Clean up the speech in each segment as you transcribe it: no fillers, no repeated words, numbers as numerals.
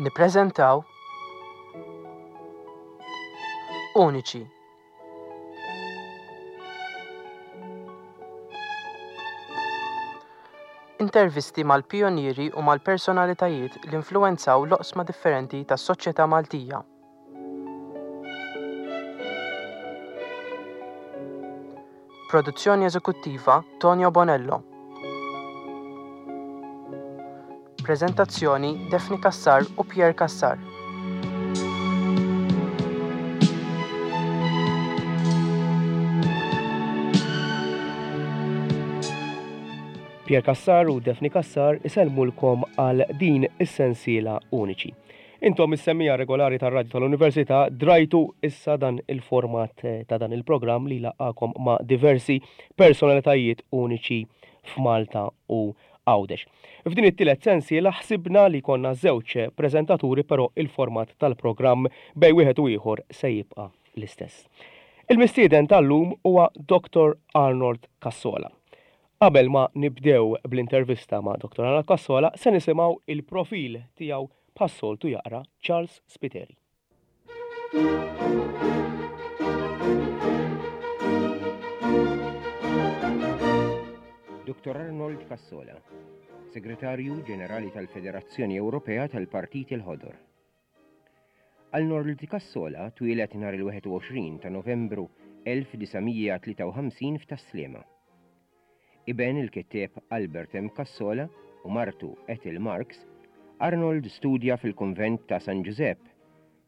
Nippreżentaw Uniċi. Intervisti mal-pijunieri u mal-personalitajiet li influwenzaw l-oqsma differenti tas-soċjetà Maltija. Produzzjoni eżekuttiva Tonio Bonello. Preżentazzjoni Daphne Cassar u Pierre Cassar. Pierre Cassar u Daphne Cassar isellmulkom għal din is-sensiela uniċi. Intom is-semmiegħa regolari tar-Radju tal-Università drajtu issa dan il-format ta' dan il-programm li jlaqqagħkom ma' diversi personalitajiet uniċi f'Malta u Għawdex. F'din it-tielet sensiela ħsibna li jkollna żewġ preżentaturi però il-format tal-programm bejn wieħed u ieħor se jibqa' l-istess. Il-mistieden tal-lum huwa Dottor Arnold Cassola. Qabel ma nibdew bl-intervista ma' Dottor Arnold Cassola se nisimgħu il-profil tiegħu bħas-soltu jaqra Charles Spiteri. Dottor Arnold Cassola, Segretarju Ġenerali tal-Federazzjoni Ewropea tal-Partiti l-Ħodor. Arnold Cassola twieled nhar il-21 ta' Novembru 1953 f'Tas-Sliema. Iben il-kittieb Albert M. Cassola u martu Ethel Marx, Arnold studja fil-Kunvent ta' San Ġużepp,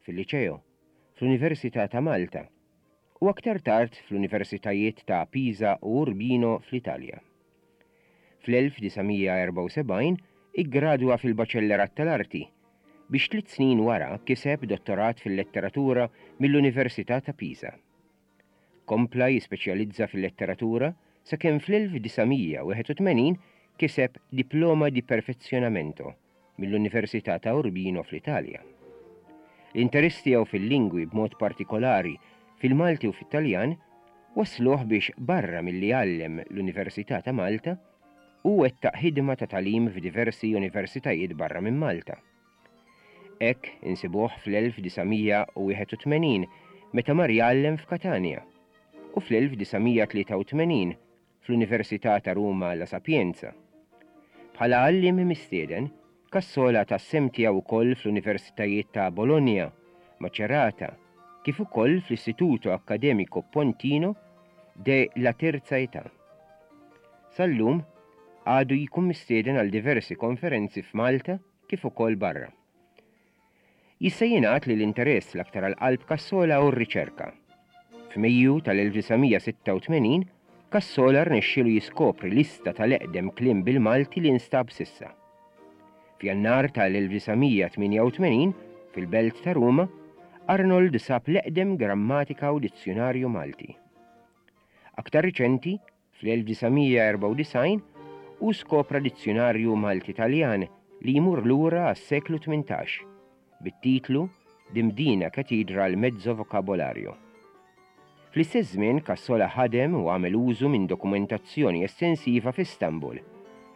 fil-Liċeo, fl-Università ta' Malta u aktar tard fl-Universitajiet ta' Pisa u Urbino fl-Italja. Fl-1974 iggradwa fil-Baċellerat tal-Arti, biex tliet snin wara kiseb dottorat fil-Letteratura mill-Università ta' Pisa. Kompla jispeċjalizza fil-letteratura sakemm fl-1981 kiseb Diploma di Perfezionamento mill-Università ta' Urbino fl-Italja. L-interess tiegħu fil-lingwi b'mod partikolari fil-Malti u fit-Taljan wassluh biex barra milli għallem l-Università ta' Malta, hu wettaq ħidma ta' tagħlim f'diversi universitajiet barra minn Malta. Hekk insibuh fl-1981 meta mar jgħallem f'Katanja u fl-1983 fl-Università ta' Ruma La Sapienza. Bħala għalliem mistieden, Cassola ta s-sehem tiegħu wkoll fl-Universitajiet ta' Bologna, Macerata, kif ukoll fl-Istituto Accademico Pontino de la Terza Età. Sal-lum, għadu jkun mistieden għal diversi konferenzi f'Malta kif ukoll barra. Jista' jingħad li l-interess l-aktar għal qalb Cassola hu r-riċerka. F'Mejju tal-1986, Cassola rnexxielu jiskopri lista tal-eqdem kliem bil-Malti li nstab s'issa. F'Jannar tal-1988, fil-belt ta' Ruma, Arnold sab l-eqdem grammatika u dizzjunarju Malti. Aktar riċenti, Fl-1994 hu skopra dizzjunarju Malti-Taljan li jmur lura għas-seklu 18, bit-titlu Di Mdina Cathedral Mezzo Vocabolario. Fl-istess żmien Cassola ħadem u għamel użu minn dokumentazzjoni estensiva f'Istanbul,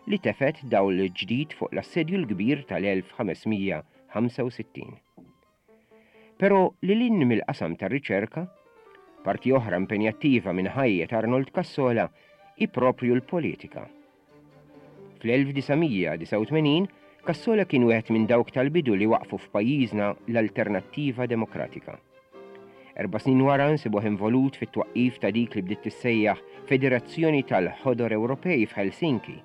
li tefgħet dawl ġdid fuq l-Assedju l-Kbir tal-1565. Però lil hinn mill-qasam tar-riċerka, parti oħra impenjattiva minn ħajjet Arnold Cassola hi proprju l-politika. Fl-1989, Cassola kien wieħed minn dawk tal-bidu li waqqfu f'pajjiżna l-Alternattiva Demokratika. Erba' snin wara nsibuh involut fit-twaqqif ta' dik li bdiet tissejjaħ Federazzjoni tal-Ħodor Ewropej f'Helsinki.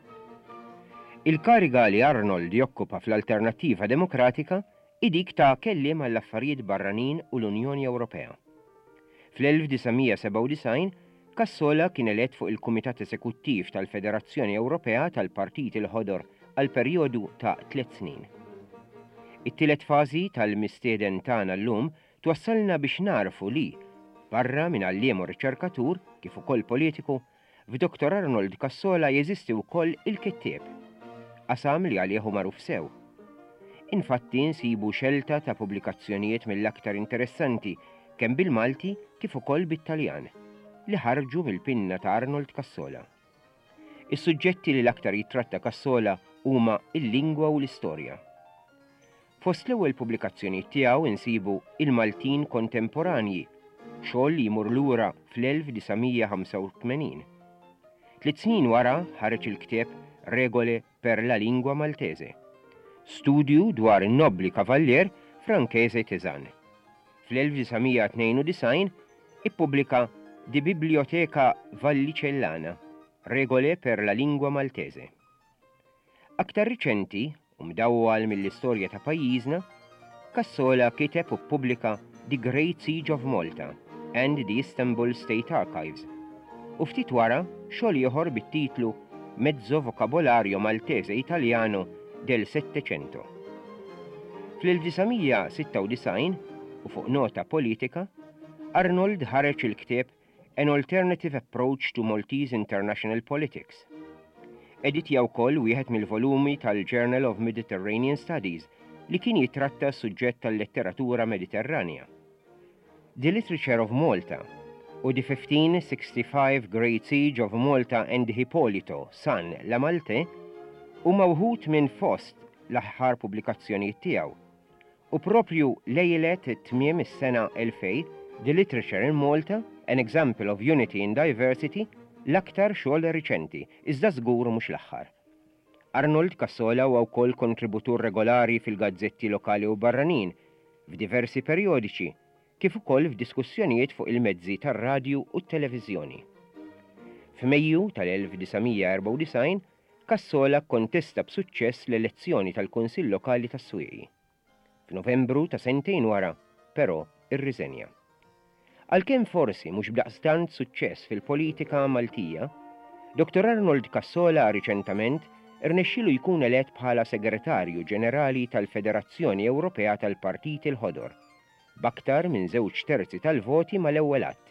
Il-kariga li Arnold jokkupa fl-Alternattiva Demokratika hi dik ta' Kelliem għall-Affarijiet Barranin u l-Unjoni Ewropea. Fl-1997, Cassola kien elett fuq il-Kumitat Esekuttiv tal-Federazzjoni Ewropea tal-Partiti l-Ħodor għal perjodu ta' tliet snin. It-tielet fażi tal-mistieden tagħna llum twassalna biex nagħrfu li, barra minn għalliem u riċerkatur, kif ukoll politiku, F'Dottor Arnold Cassola jeżisti wkoll il-kittieb, qasam li għalih hu magħruf sew. Infatti nsibu xelta ta' pubblikazzjonijiet mill-aktar interessanti kemm bil-Malti kif ukoll bit-Taljan li ħarġu mill-pinna ta' Arnold Cassola. Is-suġġetti li l-aktar jittratta Cassola huma l-lingwa u l-istorja. Fost l-ewwel pubblikazzjonijiet tiegħu insibu Il-Maltin Kontemporanji, xogħol li jmur lura fl-1985. Tliet snin wara ħareġ il-ktieb Regole per la lingua Maltese, studju dwar in-nobbli kavallier Franchese Tesan. Fl-1992 ippubblika De Bibliotheca Vallicellana, Regole per la lingua Maltese. Aktar riċenti, u mdawwal mill-istorja ta' pajjiżna, Cassola kiteb u ppubblika The Great Siege of Malta and the Istanbul State Archives, u ftit wara xogħol ieħor bit-titlu Mezzo Vocabolario Maltese Italiano del Settecento. Fl-1996, u fuq nota politika, Arnold ħareġ il-ktieb An Alternative Approach to Maltese International Politics. Editja wkoll wieħed mill-volumi tal-Journal of Mediterranean Studies li kien jittratta s-suġġett tal-letteratura Mediterranja. The Literature of Malta u The 1565 Great Siege of Malta and Hippolito, Son La Malte huma wħud minn fost l-aħħar pubblikazzjonijiet tiegħu. U proprju lejlet tmiem is-sena 2000, The Literature in Malta, An Example of Unity in Diversity, l-aktar xogħol riċenti, iżda żgur mhux l-aħħar. Arnold Cassola huwa wkoll kontributur regolari fil-gazzetti lokali u barranin, f'diversi perjodiċi, kif ukoll f'diskussjonijiet fuq il-mezzi tar-radju u t-televiżjoni. F'Mejju tal-1994, Cassola kkontesta b'suċċess l-elezzjoni tal-Kunsill Lokali tas-Swieqi. F'Novembru ta' sentejn wara, però, irriżenja. Għalkemm forsi mhux b'daqstant suċċess fil-politika Maltija, Dottor Arnold Cassola riċentament irnexxielu jkun elett bħala Segretarju Ġenerali tal-Federazzjoni Ewropea tal-Partiti l-Ħodor, b'aktar minn żewġ terzi tal-voti mal-ewwel għadd.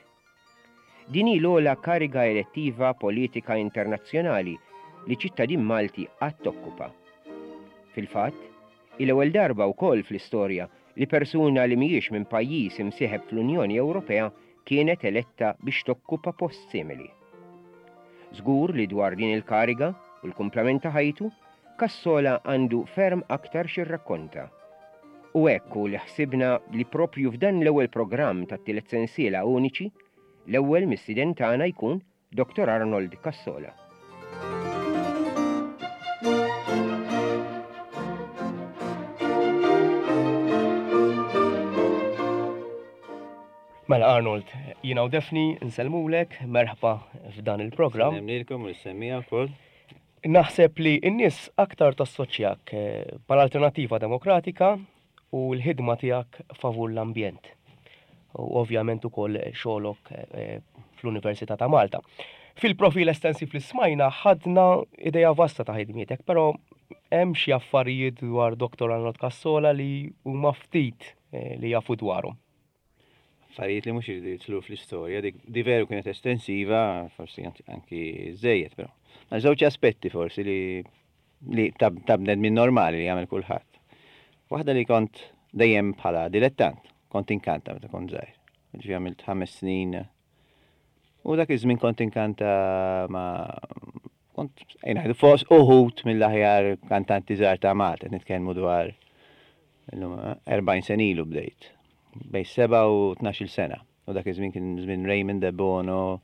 Din hi l-ogħla kariga elettiva politika internazzjonali li ċittadin Malti qatt okkupa. Fil-fatt, hi l-ewwel darba wkoll fl-istorja li persuna li mhijiex minn pajjiż imsieħeb fl-Unjoni Ewropea kienet eletta biex tokkupa post simili. Żgur li dwar din il-kariga u l-kumplament ta' ħajtu, Cassola għandu ferm aktar x'jirrakkonta. U hekk hu li ħsibna li proprju f'dan l-ewwel programm tat-tielet sensiela Uniċi, l-ewwel mistieden tagħna jkun Dottor Arnold Cassola. Mela Arnold, jiena u Daphne nsellmulek, merħba f'dan il-programm. Nsellem lilkom u lis-semmiegħa wkoll. Naħseb li n-nies aktar tassoċjak mal-Alternattiva Demokratika u l-ħidma tiegħek favur l-ambjent u ovvjament ukoll xogħlok fl-Università ta' Malta. Fil-profil estensiv li smajna ħadna idea vasta ta' ħidmietek, però hemm xi affarijiet dwar Dottor Arnold Cassola li huma ftit li jafu dwarhom. Affarijiet li mhux iridu jidħlu fl-istorja, dik di veru kienet estensiva, forsi anki żejjed, però. Ma żewġ aspetti forsi li li ta' bnedmin normali li jagħmel kulħadd. Waħda li kont dejjem bħala dilettant, kont inkanta meta kont żgħir. Ġifieri għamilt ħames snin u dak iż-żmien kont inkanta ma' kont ngħidu fost uħud mill-aħjar kantanti żgħar ta' Malta, nitkellmu dwar Illum 40 sena ilu bdejt. Bejn 7 u 12-il sena. U dak iż-żmien kien żmien Raymond Debono,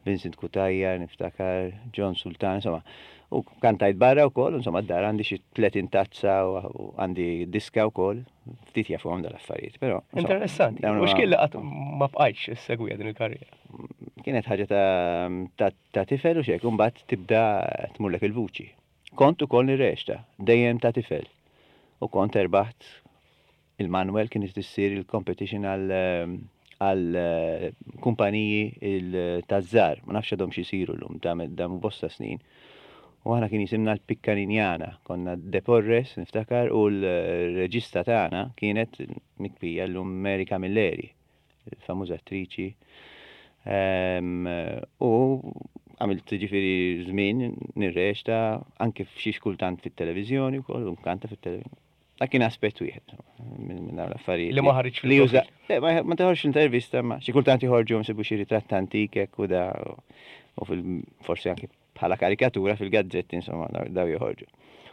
Vincent Cutajar, niftakar, John Sultan, insomma. U kantajt barra wkoll, insomma d-dar għandi xi 30 tazza u għandi diska wkoll. Ftit jafuhom dal-affarijiet, però. Interessanti. U x'kien li qatt ma bqajtx issegwiha din il-karriera? Kienet ħaġa ta' tifel u x'hekk, u mbagħad tibda tmurlek il-vuċi. Kont ukoll nirreċta, dejjem ta' tifel. U kont erbaħt il-Manuel kienet issir il-competition għal għal kumpaniji taż-żgħar, ma nafx għadhomx isiru llum, damu bosta snin. U aħna kien jisimna l-Piccaninjana, konna De Porres niftakar u l-reġista tagħna kienet mikpija llum Mary Camilleri. il-famuża attriċi. U għamilt ġifieri żmien nirreċta anke f'xi kultant fit-televiżjoni wkoll u nkanta fit-televiżjoni. Dak kien aspett wieħed minn dawn l-affarijiet. Li ma ħariġx li juża. Ma toħroġx intervista ma xi kultant joħorġu nsibu xi ritratt antik hekk u da u forsi anke bħala karikatura fil-gazzetti insomma daw joħorġu.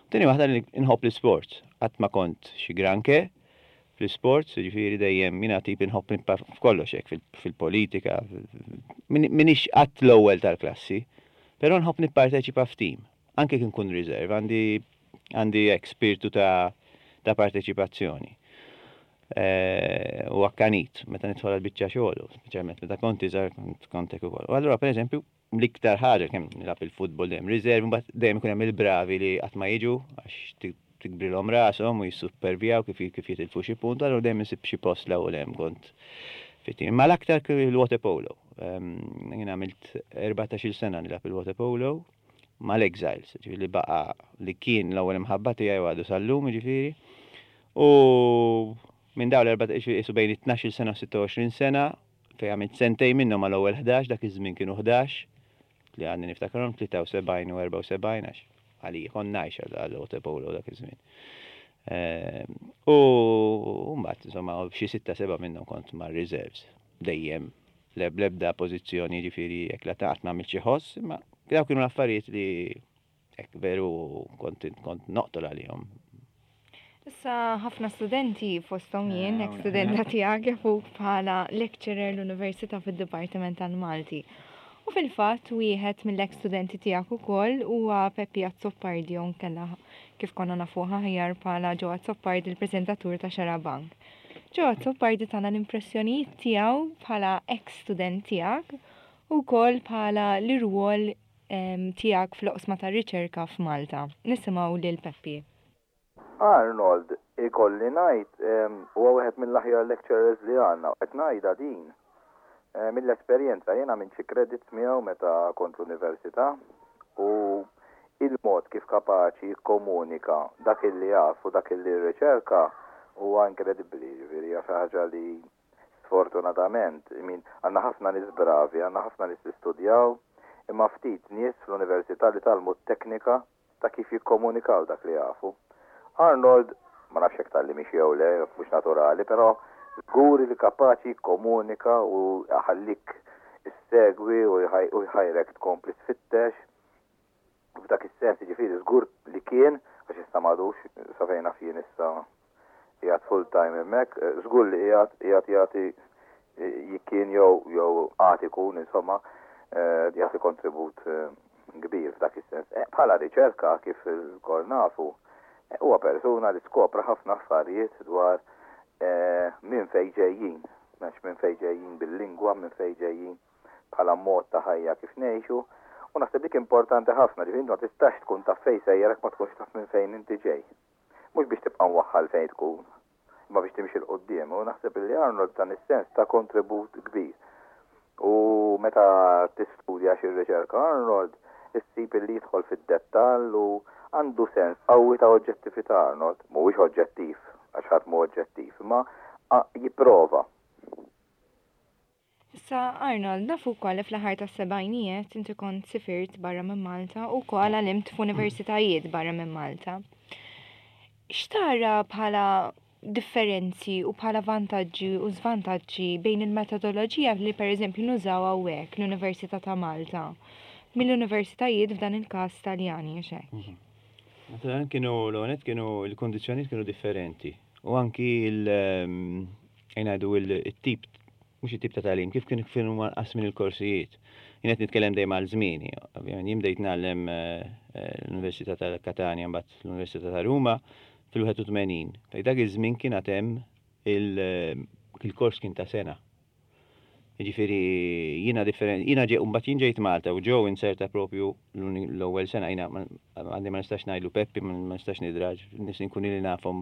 Tieni waħda li nħobb l-isports. Qatt ma kont xi granke fl-isports, jiġifieri dejjem jiena tip inħobb nibqa' f'kollox hekk, fil-politika, m'iniex qatt l-ewwel tal-klassi, però nħobb nipparteċipa f'tim, anke jekk inkun reserve, għandi għandi hekk spirtu ta' ta' parteċipazzjoni. U akkanit meta nidħol għal biċċa xogħol, speċjalment meta kont iżgħar kont hekk ukoll. U allura pereżempju L-iktar ħaġa kemm nilgħab il-futbol dejjem riservi, mbagħad dejjem ikun hemm il-bravi li qatt ma jiġu għax tikbrilhom rashom u jissuppervjaw kif kif jitilfu xi punt, allura dejjem insib xi post 'l hawn u 'l hemm kont fit-tim. Imma l-aktar il-waterpolo. Jien għamilt 14-il sena nilgħab il-waterpolo mal-Exiles, ġifieri li baqa' li kien l-ewwel imħabba tiegħi u għadu sal-lum jiġifieri. U minn dawn l-erbatax, qisu bejn it-tnax-il sena u 26 sena, Fejn għamilt sentejn minnhom mal-ewwel 11, dak iż-żmien kienu 11, li għadni niftakarhom, 73 u 74 għax għalija kont ngħix għall-waterpolo dak iż-żmien. Ehm, u mbagħad insomma xi sitta seba' minnhom kont mar-reserves dejjem l-ebda pożizzjoni ġifieri jekk la taqgħod ma għamilt xi ħoss, imma dawk kienu l-affarijiet li Hekk veru kont kont noqtol għalihom. Issa ħafna studenti fosthom jien, ex studenta tiegħek jafuk bħala lecturer l-Università fid-Dipartiment tal-Malti. U fil-fatt wieħed mill-ex studenti tiegħek ukoll huwa Peppi Azzopardi jew nkella kif konna nafuh aħjar bħala Joe Azzopardi l-preżentatur ta' Xarabank. Joe Azzopardi tana l-impressjonijiet tiegħu bħala ex student tiegħek u wkoll bħala l-irwol tiegħek fl-oqsma tar-riċerka f'Malta. Nisimgħu lil Peppi. Arnold, ikolli ngħid, huwa wieħed mill-aħjar lecturers li għandna. Qed ngħidha din mill-esperjenza. Jien għamilt xi credits miegħu meta kont l-università u il-mod kif kapaċi jikkomunika dak illi jaf u dak illi rriċerka huwa inkredibbli, jiġifieri hija xi ħaġa li Sfortunatament, I mean, għandna ħafna nies bravi, għandna ħafna nies li studjaw, imma ftit nies fl-università li tgħallmu t-teknika ta' kif jikkomunikaw dak li jafu. Arnold, ma nafx jekk tgħallimhiex jew le, mhux naturali, però żgur li kapaċi jikkomunika u jħallik issegwi u jħajrek tkompli tfittex. F'dak is-sens, jiġifieri żgur li kien, għax issa m'għadux, sa fejn naf jien issa qiegħed full time hemmhekk, żgur li qiegħed qiegħed jagħti kien jew jew għad ikun insomma jagħti kontribut kbir f'dak is-sens. Bħala riċerka kif ilkoll nafu, huwa persuna li skopra ħafna affarijiet dwar minn fejn ġejjin, għax minn fejn ġejjin bil-lingwa, minn fejn ġejjin bħala mod ta' ħajja kif ngħixu, u naħseb dik importanti ħafna, ġifieri inti ma tistax tkun taf fejn sejjer jekk ma tkunx taf minn fejn inti ġej. Mhux biex tibqa' mwaħħal fejn tkun, imma biex timxi 'l quddiem, u naħseb illi Arnold f'dan is-sens ta kontribut kbir. U meta tistudja xi rriċerka Arnold, issib illi jidħol fid-dettall u għandu sens qawwi ta' oġġettività Arnold. Mhuwiex oġġettiv, għax ħadd mhu oġġettiv, imma jipprova. Issa Arnold, nafu wkoll li fl-aħħar tas-sebgħinijiet inti kont sifirt barra minn Malta u wkoll għalimt f'universitajiet barra minn Malta. X'tara bħala differenzi u bħala vantaġġi u żvantaġġi bejn il-metodoloġija li pereżempju nużaw hawnhekk l-Università ta' Malta mill-universitajiet f'dan il-każ Taljani għax hekk? Mhm. Naturalment kienu l-għonet kienu l-kondizzjonijiet kienu differenti u anki il ngħidu il-tip mhux it-tip ta' tagħlim, kif kien kif huma mqassmin il-korsijiet. Jien qed nitkellem dejjem għal żmieni, ovvjament jien bdejt ngħallem l-Università ta' Katanja mbagħad l-Università ta' Ruma fil-81. Fejn dak iż-żmien kien għad hemm il-kors kien ta' sena. Jiġifieri jiena differenti, jiena ġej mbagħad jien ġejt Malta u ġew inserta propju l-ewwel sena jiena għandi ma nistax ngħidlu Peppi, ma nistax nidraġ, nies inkun ili nafhom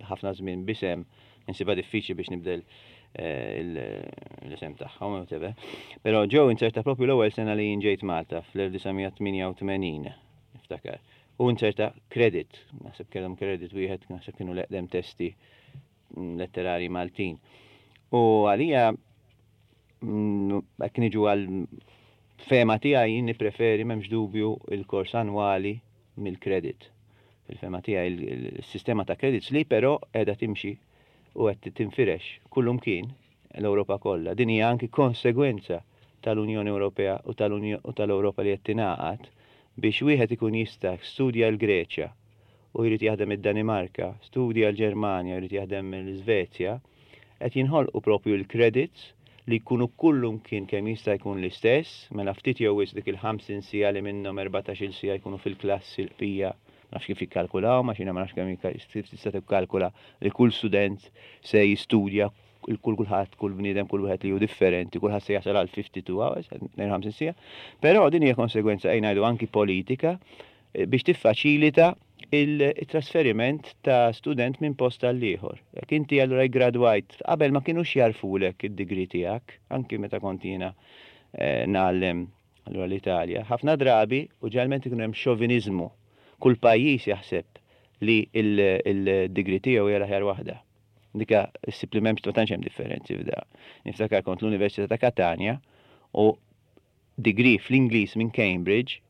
ħafna żmien b'isem. Insibha diffiċli biex nibdel l-isem tagħhom, whatever. Però ġew inzerta propju l-ewwel sena li jien ġejt Malta fl-1988, niftakar. U inzerta credit, naħseb kellhom credit wieħed, naħseb kienu l-eqdem testi letterari Maltin. U għalija hekk niġu għal fehma tiegħi jien nippreferi m'hemmx dubju il-kors annwali mill-credit. Fil-fehma tiegħi il-sistema ta' credits li però qiegħda timxi u qed tinfirex kullumkien l-Ewropa kollha. Din hija anki konsegwenza tal-Unjoni Ewropea u tal-Ewropa li qed tingħaqad biex wieħed ikun jista' studja l-Greċja u jrid jaħdem id-Danimarka, studja l-Ġermanja u jrid jaħdem l-Iżvezja, qed jinħolqu propju l-credits li jkunu kullumkien kemm jista' jkun l-istess, mela ftit jew wisq dik il-50 siegħa li minnhom 14-il siegħa jkunu fil-klassi l-bqija ma nafx kif jikkalkulawhom għax jiena ma nafx kemm kif tista' tikkalkula li kull student se jistudja kull kulħadd, kull bniedem, kull wieħed li hu differenti, kulħadd se jasal għal 52 hours, 52 siegħa. Però din hija konsegwenza ejja ngħidu anki politika biex tiffaċilita il-trasferiment ta' student minn post għal ieħor. Jekk inti allura iggradwajt, qabel ma kinux jagħrfulek id-degree tiegħek, anki meta kont jiena ngħallem allura l-Italja, ħafna drabi u ġeneralment ikun hemm xoviniżmu. Kull pajjiż jaħseb li l-degree tiegħu hija l-aħjar waħda. Dika ssib li m'hemmx ma tantx hemm differenzi f'da. Niftakar kont l-Università ta' Katanja u degree fl-Ingliż minn Cambridge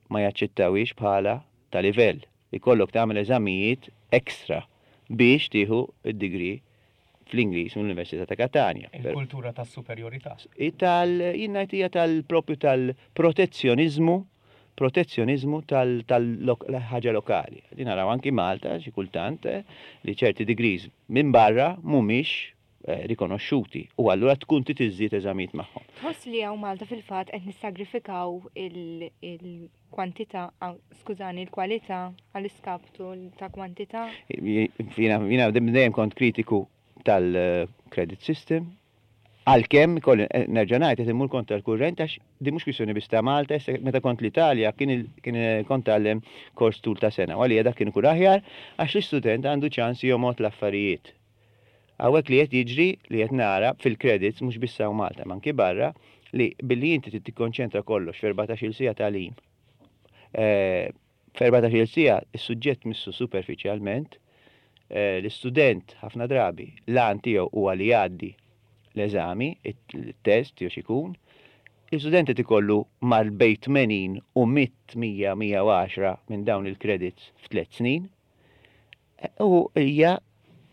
ma jaċċettawhiex bħala ta' livell. Ikollok tagħmel eżamijiet extra biex tieħu d-degree fl-Ingliż mill-Università ta' Katanja. Il-kultura tas-superjorità. Tal, jien ngħid hija tal-propju tal-protezzjoniżmu, protezzjoniżmu tal-ħaġa lokali. Din naraw anki Malta xi kultant li ċerti degrees minn barra mhumiex rikonoxxuti u allura tkun trid iżżid eżamijiet magħhom. Tħoss li hawn Malta fil-fatt qed nissagrifikaw il-kwantità, skużani, il-kwalità għall-iskaptu ta' kwantità? Jiena dejjem kont kritiku tal-credit system, għalkemm ikolli nerġa' ngħid qed immur kontra l-kurrent għax din mhux kwistjoni biss ta' Malta, issa meta kont l-Italja kien kien kont tgħallem kors tul ta' sena u għalija dak kien ikun aħjar għax l-istudent għandu ċans jomgħod l-affarijiet. Hawnhekk li qed jiġri, li qed nara fil-credits mhux biss hawn Malta imma anki barra, li billi inti trid tikkonċentra kollox f'erbatax-il siegħa tagħlim, f'erbatax-il siegħa s-suġġett missu superfiċjalment, l-istudent ħafna drabi l-għan tiegħu huwa li jgħaddi l-eżami, it-test jew x'ikun, l-istudent qed ikollu mal bejn 80 u 100, 100, 110 minn dawn il-credits f'tliet snin. U hija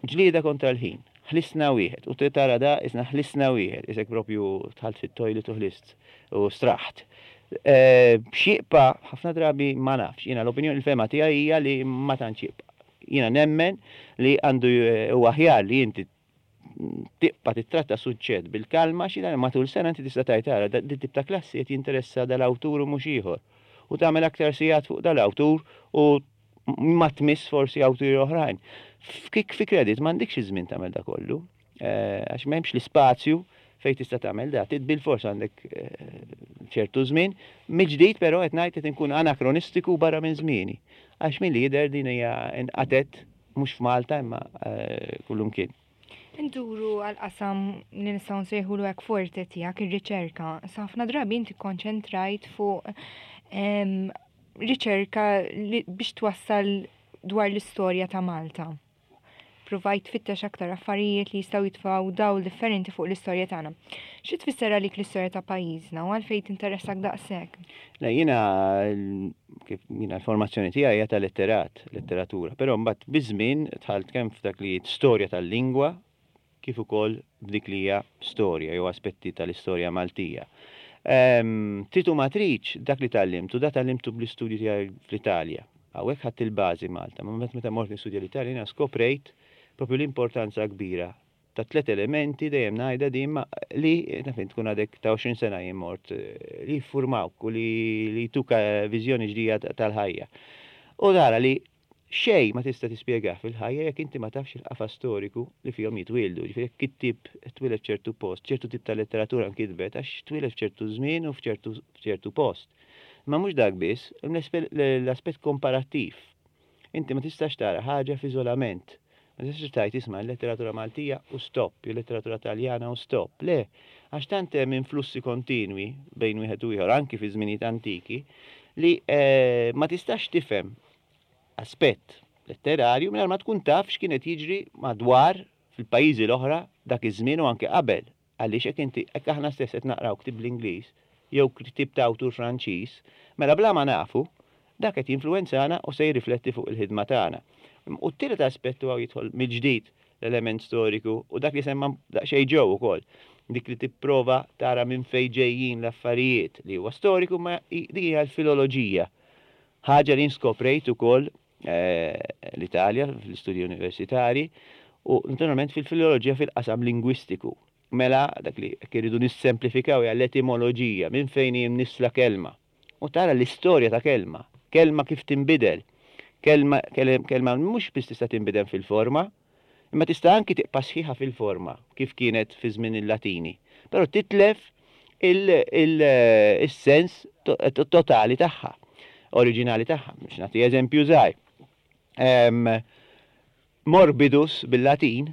ġlieda kontra l-ħin. Ħlisna wieħed. U tara da isna ħlisna wieħed. Isek propju dħalt fit-toilet u ħlist u straħt. X'jibqa' ħafna drabi ma nafx. Jiena l-opinjoni l-fehma tiegħi hija li ma tantx jibqa'. Jiena nemmen li għandu huwa aħjar li inti tibqa' tittratta suġġett bil-kalma xi darba matul sena inti tista' tgħid ara din tip ta' klassi qed jinteressa dal-awtur u mhux ieħor. U tagħmel aktar sigħat fuq dal-awtur u ma tmiss forsi awturi oħrajn. F'kik fi credit m'għandikx iż-żmien tagħmel da kollu, għax m'hemmx l-ispazju fejn tista' tagħmel da. Trid bilfors għandek ċertu żmien. Mill-ġdid però qed ngħid qed inkun anakronistiku barra minn żmieni. Għax milli jidher din hija inqatgħet mhux f'Malta imma kullumkien. Induru għal qasam li nistgħu nsejħulu hekk forte tiegħek, ir-riċerka. Sa ħafna drabi inti kkonċentrajt fuq riċerka biex twassal dwar l-istorja ta' Malta. Provajt tfittex aktar affarijiet li jistgħu jitfgħu dawl differenti fuq l-istorja tagħna. Xi tfisser għalik l-istorja ta' pajjiżna u għalfejn tinteressak daqshekk? Le, jiena kif jiena l-formazzjoni tiegħi hija ta' letterat, letteratura, però mbagħad biż-żmien dħalt kemm f'dak li storja tal-lingwa kif ukoll f'dik li hija storja jew aspetti tal-istorja Maltija. Trid u ma tridx, dak li tgħallimt u da tgħallimtu bl-istudju tiegħi fl-Italja. Hawnhekk ħadt il-bażi Malta, ma mbagħad meta mort nistudja l-Italja jiena skoprejt propju l-importanza kbira ta' tliet elementi dejjem ngħidha din ma li naf int tkun għadek ta' 20 sena jien mort li jiffurmawk u li jtuk viżjoni ġdida tal-ħajja. U tara li Xejn ma tista' tispjegah fil-ħajja jekk inti ma tafx il-qafas storiku li fihom jitwieldu. Jiġifieri jekk kittieb twieled f'ċertu post, ċertu tip ta' letteratura nkitbet għax twieled f'ċertu żmien u f'ċertu post. Imma mhux dak biss, l-aspett komparattiv. Inti ma tistax tara ħaġa f'iżolament. Ma tistax tgħid isma' l-letteratura Maltija u stop, jew letteratura Taljana u stop. Le, għax tant hemm influssi kontinwi bejn wieħed u ieħor anki fi żminijiet antiki li ma tistax tifhem aspett letterarju mingħajr ma tkun taf x'kien qed jiġri madwar fil-pajjiżi l-oħra dak iż-żmien u anke qabel. Għaliex jekk inti, jekk aħna stess qed naqraw ktieb bl-Ingliż jew ktieb ta' awtur Franċiż, mela bla ma nafu, dak qed jinfluwenzana u se jirrifletti fuq il-ħidma tagħna. U t-tielet aspett u hawn jidħol mill-ġdid l-element storiku u dak li semma daqsxejn Joe ukoll, dik li tipprova tara minn fejn ġejjin l-affarijiet li huwa storiku ma dik hija l-filoloġija. Ħaġa li jien skoprejt ukoll l-Italja fl-istudji universitarji u naturalment fil-filoloġija fil-qasam lingwistiku. Mela dak li jekk irridu nissemplifikaw hija l-etimoloġija, minn fejn hi mnissla kelma. U tara l-istorja ta' kelma, kelma kif tinbidel. Kelma, kelma mhux biss tista' tinbidel fil-forma, imma tista' anki tibqa' sħiħa fil-forma kif kienet fi żmien il-Latini. Però titlef il-sens totali tagħha, oriġinali tagħha. Biex nagħti eżempju żgħir. Morbidus bil-Latin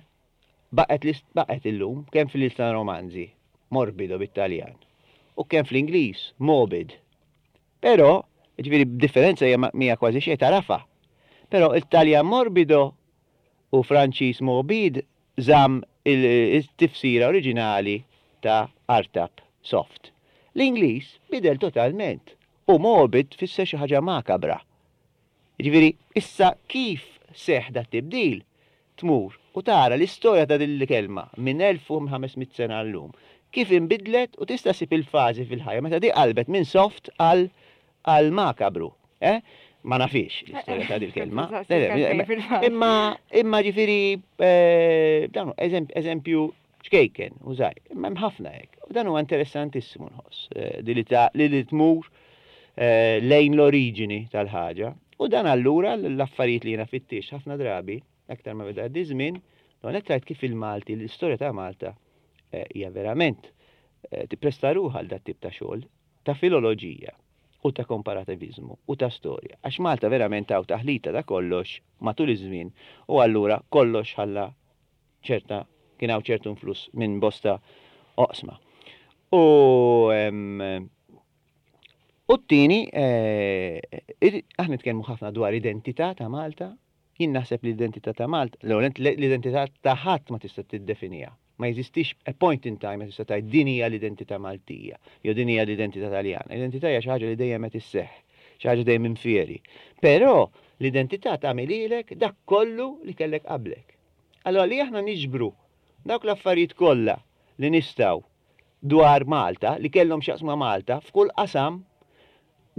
baqgħet baqgħet illum kemm fil-lista romanzi, morbido bit-Taljan, u kemm fl-Ingliż, morbid. Però, jiġifieri b'differenza hija mhija kważi xejn tagħrafha. Però it-Taljan morbido u Franċiż morbid żamm it-tifsira oriġinali ta' artab, soft. L-Ingliż bidel totalment u morbid tfisser xi ħaġa makabra. Jiġifieri, issa kif seħħ dat-tibdil, tmur u tara l-istorja ta' din il-kelma minn 1500 sena għal-lum, kif inbidlet u tista' ssib il-fażi fil-ħajja meta di qalbet minn soft għal għal makabru. Eh? Ma nafhiex l-istorja ta' dil-kelma. Imma imma ġifieri eh, dan eżempju ċkejken u żgħir, imma hemm ħafna hekk. U dan huwa interessantissimu nħoss, eh, li li tmur eh, lejn l-oriġini tal-ħaġa. U dan allura l-affarijiet li jiena fittix ħafna drabi, aktar ma beda għaddi żmien, l rajt kif il-Malti, l-istorja ta' Malta eh, hija verament tippresta ruħha għal dat tip ta' xogħol ta' filoloġija u ta' komparativiżmu u ta' storja. Għax Malta verament hawn taħlita ta' kollox matul iż-żmien u allura kollox ħalla ċerta kien hawn ċertu influss minn bosta oqsma. U u t-tieni eh, aħna nitkellmu ħafna dwar identità ta' Malta, jien naħseb l-identità ta' Malta, l-identità ta' ħadd ma tista' tiddefiniha. Ma jeżistix a point in time ma tista' tgħid din hija l-identità Maltija jew din hija l-identità Taljana. L-identità hija xi ħaġa li dejjem qed isseħħ, xi ħaġa dejjem infieri. Però l-identità tagħmel lilek dak kollu li kellek qablek. Allura li aħna niġbru dawk l-affarijiet kollha li nistgħu dwar Malta, li kellhom x'jaqsmu ma' Malta, f'kull qasam,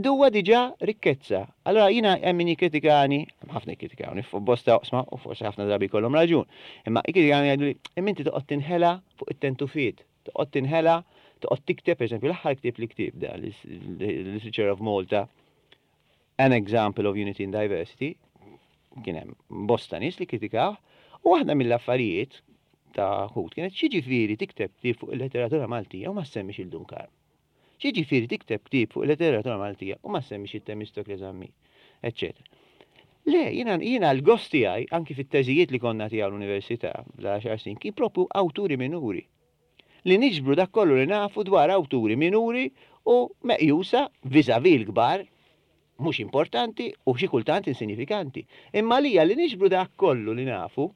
huwa diġà rikkezza. Allura jiena hemm min jikkritikani, hemm ħafna jikkritikawni fuq bosta oqsma u forsi ħafna drabi jkollhom raġun, imma jikkritikawni jgħiduli imma inti toqgħod tinħela fuq it-tentufiet, toqgħod tinħela, toqgħod tikteb, pereżempju l-aħħar ktieb li ktibt da, Literature of Malta, An Example of Unity in Diversity, kien hemm bosta nies li kkritikawh, u waħda mill-affarijiet ta' ħut kienet x'jiġifieri tikteb ktieb fuq il-letteratura Maltija u ma ssemmix il Dun Karm. X'jiġifieri tikteb ktieb fuq il-letteratura Maltija u ma ssemmix it-Temistokle Zammit, eċċetera. Le, jiena jiena l-gost tiegħi anki fit-teżijiet li konna nagħtiha l-università fl-għaxar snin kien propju awturi minuri. Li niġbru dak kollu li nafu dwar awturi minuri u meqjusa vis-à-vis l-kbar mhux importanti u xi kultant insinjifikanti. Imma għalija li niġbru dak kollu li nafu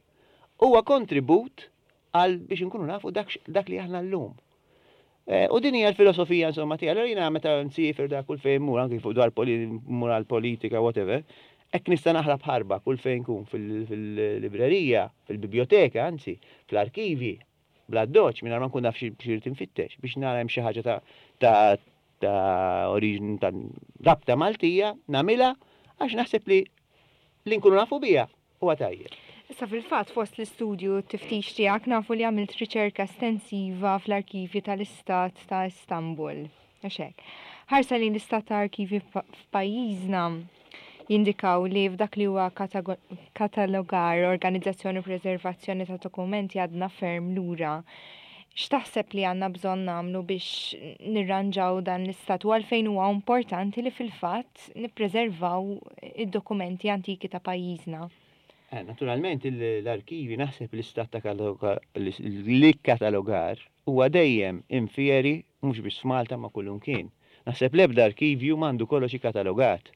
huwa kontribut għal biex inkunu nafu dak dak li aħna llum. U din hija l-filosofija insomma tiegħi. Allura jiena meta nsiefer dak kull fejn mmur anki fuq dwar mmur għall-politika whatever, hekk nista' naħrab ħarba kull fejn nkun fil-librerija, fil-bibljoteka anzi, fl-arkivji, bl-addoċċ mingħajr ma nkun naf xi rrid infittex biex nara hemm xi ħaġa ta' ta' ta' oriġini ta' rabta Maltija nagħmilha għax naħseb li li nkunu nafu biha huwa tajjeb. Issa fil-fatt fost l-istudju u t-tiftix tiegħek nafu li għamilt riċerka estensiva fl-arkivji tal-Istat ta' Istanbul. Għax hekk. Ħarsa lejn l-istat ta' arkivji f'pajjiżna jindikaw li f'dak li huwa katalogar, organizzazzjoni u preservazzjoni ta' dokumenti għadna ferm lura. X'taħseb li għandna bżonn nagħmlu biex nirranġaw dan l-istat u għalfejn huwa importanti li fil-fatt nippreservaw id-dokumenti antiki ta' pajjiżna? Eh, naturalment l-arkivi naħseb l-istat ta' l-ikkatalogar huwa dejjem infieri mhux biss f'Malta ma' kullimkien. Naħseb l-ebda arkivju m'għandu kollox ikkatalogat.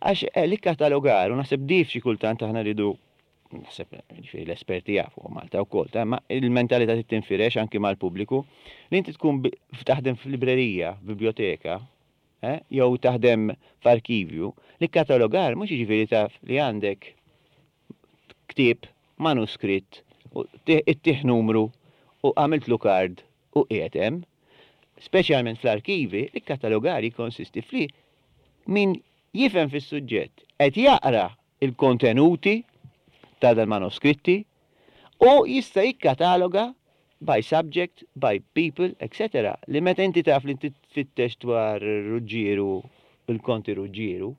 Għax eh, l-ikkatalogar, u naħseb dif xi kultant aħna rridu naħseb ġifieri l-esperti jafu Malta wkoll, ta' imma il-mentalità trid tinfirex anki mal-pubbliku li inti tkun taħdem f'librerija, f'biblioteka, eh, jew taħdem f'arkivju, l-ikkatalogar mhux jiġifieri taf li għandek ktieb, manuskritt, u ittih numru u għamiltlu kard u qiegħed hemm. Speċjalment fl-arkivi, l-ikkatalogar jikkonsisti f'li min jifhem fis-suġġett qed jaqra. il-kontenuti ta' dal-manuskritti u jista' jikkataloga by subject, by people, etc. Li meta inti taf li inti tfittex dwar Ruġġieru, il-Konti Ruġġieru,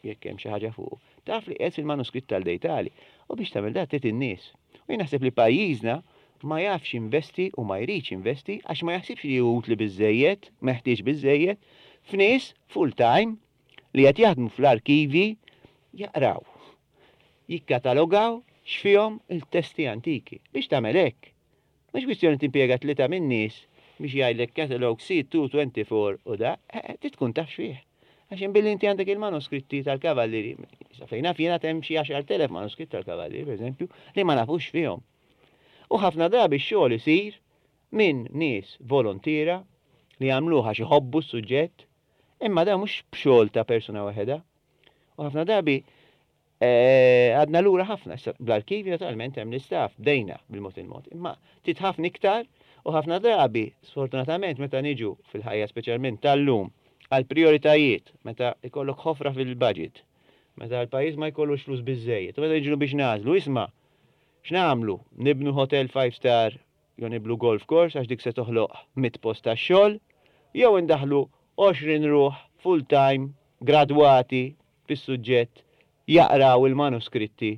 jekk hemm xi ħaġa fuqu, taf li qiegħed fil-manuskritt tal-Dejtali. U biex tagħmel dan trid in-nies. U jien naħseb li pajjiżna ma jafx jinvesti u ma jridx jinvesti għax ma jaħsibx li hu utli biżżejjed, meħtieġ biżżejjed, f'nies full time li qed jaħdmu fl-arkivji jaqraw, jikkatalogaw x'fihom il-testi antiki. Biex tagħmel hekk, mhux kwistjoni timpjega tlieta min-nies biex jgħidlek catalogue C224 u da, trid tkun taf x'fih. Għax imbilli inti għandek il-manuskritti tal-kavallieri, sa fejn naf jien għad hemm xi 10,000 manuskritt tal-kavallieri, pereżempju, li ma nafux x'fihom. U ħafna drabi x-xogħol isir minn nies volontiera li jagħmluh għax iħobbu s-suġġett, imma dan mhux b'xogħol ta' persuna waħedha. U ħafna drabi Għadna lura ħafna, issa bl-arkivji naturalment hemm l-istaff, bdejna bil-mod il-mod, imma trid ħafna iktar u ħafna drabi, sfortunatament meta niġu fil-ħajja speċjalment tal-lum għal prijoritajiet, meta jkollok ħofra fil-budget, meta l-pajjiż ma jkollux flus biżżejjed, u meta niġu biex nagħżlu, isma' x'nagħmlu, nibnu hotel five star jew niblu golf course għax dik se toħloq 100 post tax-xogħol, jew indaħħlu 20 ruħ full time gradwati fis-suġġett jaqraw il-manuskritti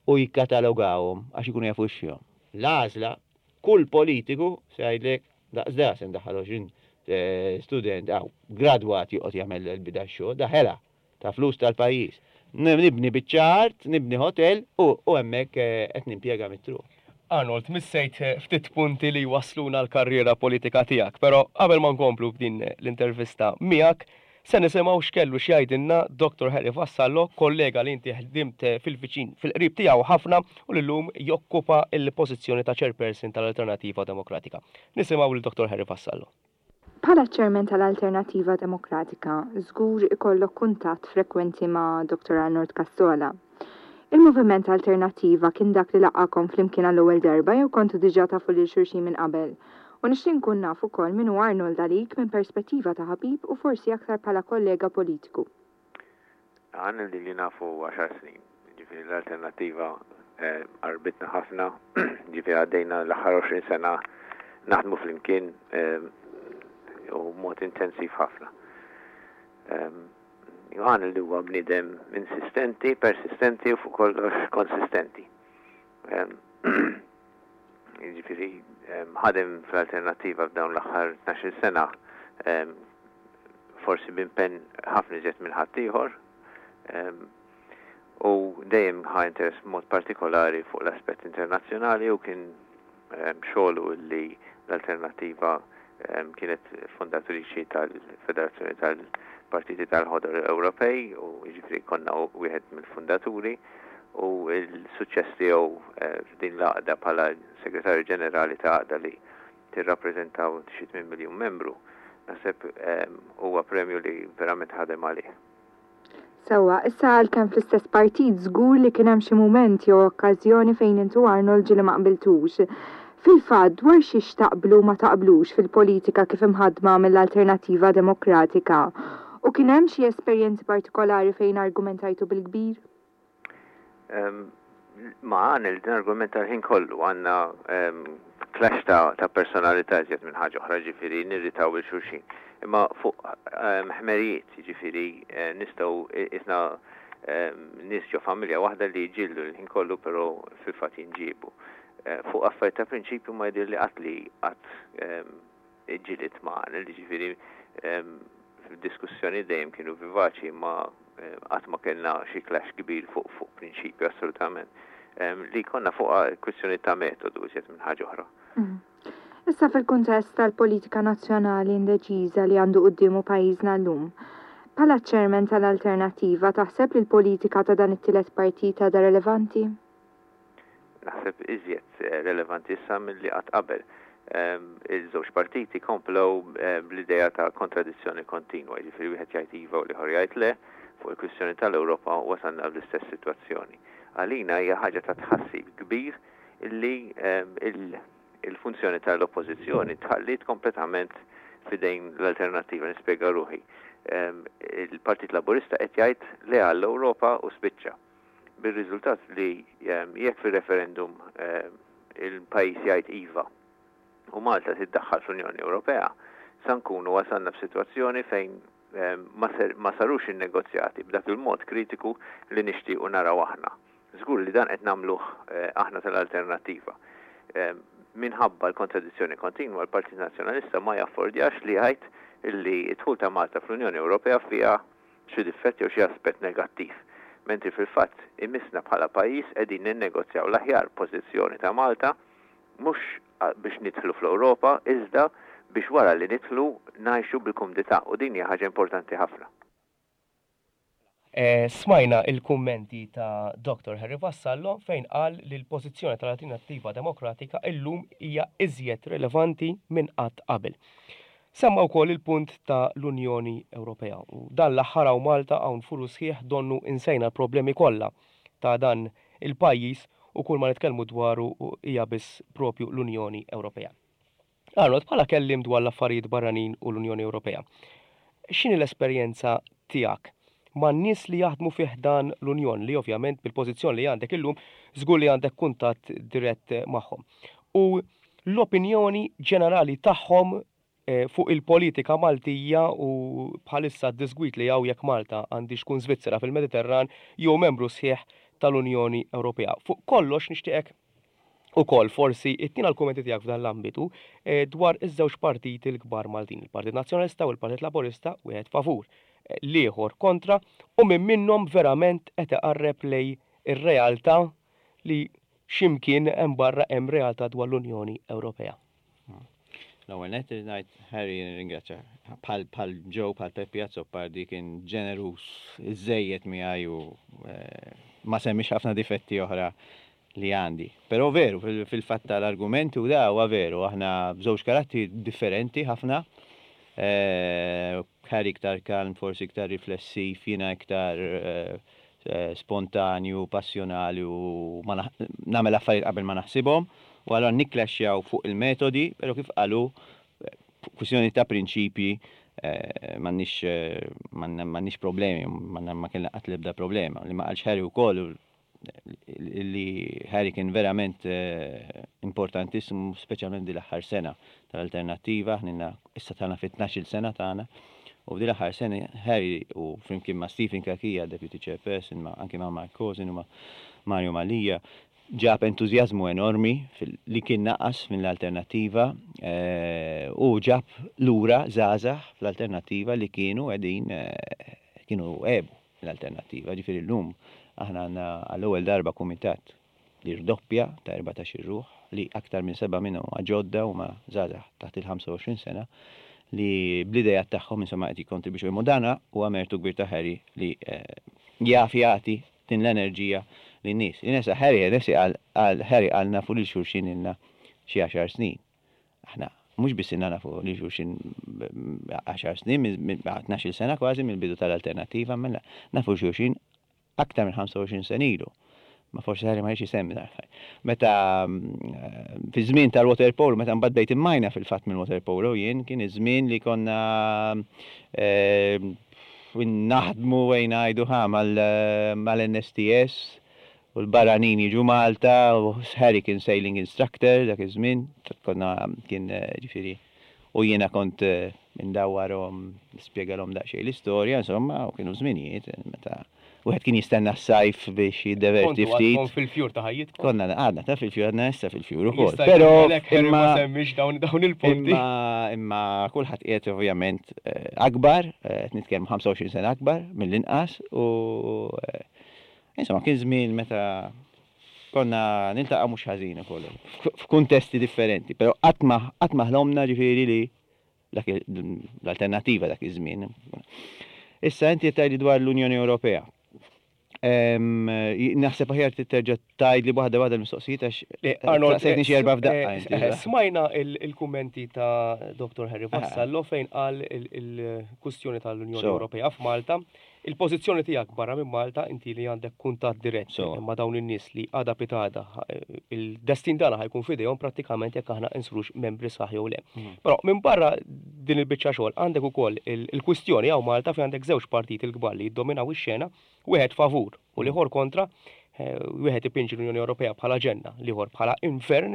u jikkatalogawhom għax ikunu jafu x'fihom. L-għażla, kull politiku se jgħidlek daqs da se ndaħħal 20 student hawn gradwat joqgħod jagħmel il-bida x-xogħol, da ħela ta' flus tal-pajjiż. Nibni biċċa art, nibni hotel u hemmhekk qed nimpjega mit-truq. Arnold, missejt ftit punti li jwassluna għall-karriera politika tiegħek, però qabel ma nkomplu b'din l-intervista miegħek, Se nisimgħu x'kellu x'jgħidilna Dottor Harry Vassallo, kollega li inti ħdimt fil-viċin, fil-qrib tiegħu ħafna u li llum jokkupa l-pożizzjoni ta' Chairperson tal-Alternattiva Demokratika. Nisimgħu lil Dottor Harry Vassallo. Bħala Chairman tal-Alternattiva Demokratika, żgur ikollok kuntatt frekwenti ma' Dottor Arnold Cassola. Il-Moviment Alternattiva kien dak li laqqagħkom flimkien għall-ewwel darba jew kontu diġà tafu lil xulxin minn qabel? U nixtieq nkun naf ukoll min hu Arnold għalik minn perspettiva ta' ħabib u forsi aktar bħala kollega politiku. Arnold ili nafu għaxar snin, jiġifieri l-Alternattiva qarbitna ħafna, jiġifieri għaddejna l-aħħar 20 sena naħdmu flimkien u b'mod intensiv ħafna. Johann li huwa bniedem insistenti, persistenti u fuq kollox konsistenti. Jiġifieri ħadem fl-alternattiva f'dawn l-aħħar 12 sena forsi b'impenn ħafna iżjed minn ħaddieħor u dejjem ħa interess b'mod partikolari fuq l-aspett internazzjonali u kien xogħlu li l-Alternattiva kienet fundatriċi tal-Federazzjoni tal-Partiti tal-Ħodor Ewropej u jiġifieri konna wieħed mill-fundaturi u l-suċċess tiegħu f'din l-għaqda bħala Segretarju Ġenerali ta' għaqda li tirrappreżenta xi 8 miljun membru, naħseb huwa premju li verament ħadem għalih. Sewwa, issa għalkemm fl-istess partit żgur li kien hemm xi mument jew okkażjoni fejn int u Arnold ġieli ma qbiltux. Fil-fatt, dwar xiex taqblu u ma taqblux fil-politika kif imħaddma mill-Alternattiva Demokratika? U kien hemm xi esperjenzi partikolari fejn argumentajtu bil-kbir? Ma għan il-argument tal-ħin kollu għandna clash ta' personalità iżjed minn ħaġa oħra, ġifieri nirritaw il xulxin. Imma fuq ħmerijiet, ġifieri nistgħu isna nies ġo familja waħda li jġildu l-ħin kollu però fil-fatt jinġiebu. Fuq affarijiet ta' prinċipju ma jidhirli qatt li qatt ġilidt ma' Arnold, jiġifieri fid-diskussjoni dejjem kienu vivaċi imma qatt ma kellna xi clash kbir fuq fuq prinċipju assolutament. Li konna fuq kwistjoni ta' metodu iżjed minn ħaġa oħra. Mm. Issa fil-kuntest tal-politika nazzjonali indeċiża li għandu quddiemu pajjiżna llum, bħala chairman tal-Alternattiva taħseb li l-politika ta' dan it-tielet partit għadha relevanti? Naħseb iżjed relevanti issa milli qatt qabel. Il-żewġ partiti komplew bl-idea ta' kontradizzjoni kontinwa, jiġifieri wieħed jgħid iva u l-ieħor jgħid le, fuq il-kwistjoni tal-Ewropa wasalna fl-istess sitwazzjoni. Għalina hija ħaġa ta' tħassib kbir illi il-funzjoni tal-Oppożizzjoni tħalliet kompletament f'idejn l-Alternattiva. Nispjega ruħi. Il-Partit Laburista qed jgħid le għall-Ewropa u spiċċa. Bir-riżultat li jekk fir-referendum il-pajjiż jgħid iva u Malta tiddaħħal fl-Unjoni Ewropea, sa nkunu wasalna f'sitwazzjoni fejn ma sarux in-negozjati b'dak il-mod kritiku li nixtiequ naraw aħna. Żgur li dan qed nagħmluh aħna tal-Alternattiva. Minħabba l-kontradizzjoni kontinwa, l-Partit Nazzjonalista ma jaffordjax li jgħid li d-dħul ta' Malta fl-Unjoni Ewropea fiha xi difett jew xi aspett negattiv, mentri fil-fatt imissna bħala pajjiż qegħdin ninnegozjaw l-aħjar pożizzjoni ta' Malta mhux biex nidħlu fl-Ewropa iżda biex wara li nidħlu ngħixu bil-kumdità u din hija ħaġa importanti ħafna. Smajna il-kummenti ta' Dottor Harry Vassallo fejn qal li l-pożizzjoni tal-Alternattiva Demokratika illum hija iżjed rilevanti minn qatt qabel. Semma wkoll il-punt ta' l-Unjoni Ewropea u dan l-aħħar hawn Malta hawn furu sħiħ donnu insejna l-problemi kollha ta' dan il-pajjiż u kull ma nitkellmu dwaru hija biss propju l-Unjoni Ewropea. Arnold, bħala kelliem dwar l-affarijiet barranin u l-Unjoni Ewropea, x'inhi l-esperjenza tiegħek man-nies li jaħdmu fi ħdan l-Unjon li ovvjament bil-pożizzjoni li għandek illum żgur li għandek kuntatt dirett magħhom. U l-opinjoni ġenerali tagħhom fuq il-politika Maltija u bħalissa d-disgwid li hawn jekk Malta għandhiex tkun Svizzera fil-Mediterran jew membru sħiħ tal-Unjoni Ewropea. Fuq kollox nixtieqek ukoll forsi ittina l-kummenti tiegħek f'dan l-ambitu dwar iż-żewġ partiti l-kbar Maltin, il-Partit Nazzjonalista u l-Partit Laburista, wieħed favur, l-ieħor kontra, u min minnhom verament qed iqarreb lejn ir-realtà li xi mkien hemm barra hemm realtà dwar l-Unjoni Ewropea. L-ewwel nett irid ngħid Harry nirringrazzja bħal bħal Joe bħal Peppi Azzopardi kien ġeneruż iżżejjed miegħi u eh, ma semmix ħafna difetti oħra li għandi. Però veru, fil-fatt tal-argument u da huwa veru, aħna b'żewġ karattri differenti ħafna. Eh, Harry iktar kalm, forsi iktar riflessiv, jiena iktar eh, spontanju, passjonali u ma nagħmel affarijiet qabel ma naħsibhom u allura nikklaxxjaw fuq il-metodi, però kif qal hu, kwistjoni ta' prinċipji m'għandniex m'għandniex problemi, ma kellna qatt l-ebda problema. Li ma qalx Harry wkoll li Harry kien verament importantissimu, speċjalment din l-aħħar sena tal-Alternattiva, aħna ilna issa tagħna fit-tnax-il sena tagħna, u f'din l-aħħar sena Harry u flimkien ma' Stephen Cachia, Deputy Chairperson, ma' anki ma' Mark Cousin u ma' Mario Mallia, ġab entużjażmu enormi li kien naqas mill-Alternattiva u ġab lura żgħażagħ fl-Alternattiva li kienu qegħdin kienu għebu mill-Alternattiva. Ġifieri llum aħna għandna għall-ewwel darba kumitat li rdoppja ta' 14-il ruħ, li aktar minn sebgħa minnhom huma ġodda, huma żgħażagħ taħt il-25 sena, li bl-ideat tagħhom insomma qed jikkontribwixxu. Imma dan huwa mertu kbir ta' Harry li jaf jagħti din l-enerġija lin-nies. Inesa Harry Hennessy qal Harry qal nafu lil xulxin ilna xi għaxar snin. Aħna mhux biss ilna nafu lil xulxin għaxar snin, 12-il sena kważi mill-bidu tal-Alternattiva, imma nafu lil xulxin aktar minn 25 sena ilu. Ma forsi Harry ma jridx isemmi dan l-affarijiet. Meta fi żmien tal-water polo, meta mbagħad bdejt immajna fil-fatt mill-water polo jien, kien iż-żmien li konna naħdmu ejn ngħidu ħa mal-NSTS u l-barranin jiġu Malta u Harry kien sailing instructor dak iż-żmien, konna kien ġifieri u jiena kont indawwarhom, nispjegalhom daqsxejn l-istorja, insomma, u kienu żminijiet meta wieħed kien jistenna s-sajf biex jiddeverti ftit. Kontu għadkom fil-fjur ta' ħajjitkom? Konna għadna ta' fil-fjur, għadna issa fil-fjur ukoll. Jista' jkun għalhekk Harry ma semmiex dawn dawn il-punti. Imma imma kulħadd qiegħed ovvjament akbar, qed nitkellmu 25 sena akbar mill-inqas u insomma kien żmien meta Konna niltaqgħu mhux ħażin ukoll, f'kuntesti differenti, però qatt ma qatt ma ħlomna ġifieri li dak l-alternattiva dak iż-żmien. Issa inti qed tgħidli dwar l-Unjoni Ewropea. Naħseb aħjar terġa' tgħidli waħda waħda l-mistoqsijiet għax Arnold, saqsejtni xi erba' f'daqqa inti. Smajna il-kummenti ta' Dottor Harry Vassallo fejn qal il-kwistjoni tal-Unjoni Ewropea f'Malta. Il-pożizzjoni tiegħek barra minn Malta, inti li għandek kuntatt dirett ma' dawn in-nies li għada pitgħada il-destin tagħna ħa jkun f'idejhom prattikament jekk aħna insrux membri sħaħ jew le. Però minbarra din il-biċċa xogħol għandek ukoll il-kwistjoni hawn Malta fejn għandek żewġ partiti l-kbar li jiddominaw ix-xena, wieħed favur u l-ieħor kontra. Wieħed ipinġi l-Unjoni Ewropea bħala ġenna, l-ieħor bħala infern,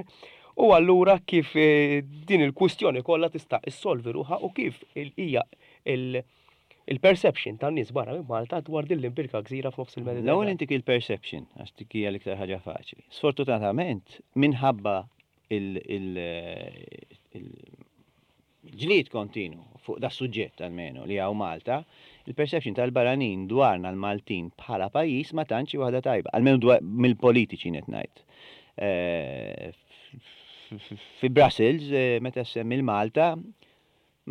u allura kif din il-kwistjoni kollha tista' issolvi ruħha u kif hija il-perception tan-nies barra minn Malta dwar din l-imbirka gżira f'nofs il-Mediterran. L-ewwel intik il-perception, għax dik hija l-iktar ħaġa faċli. Sfortunatament, minħabba il-ġlied kontinu fuq da suġġett almenu li hawn Malta, il-perception tal-barranin dwarna l-Maltin bħala pajjiż ma tantx hi waħda tajba, almenu dwar mill-politiċi qed ngħid. Fi Brussels, meta ssemmi l-Malta,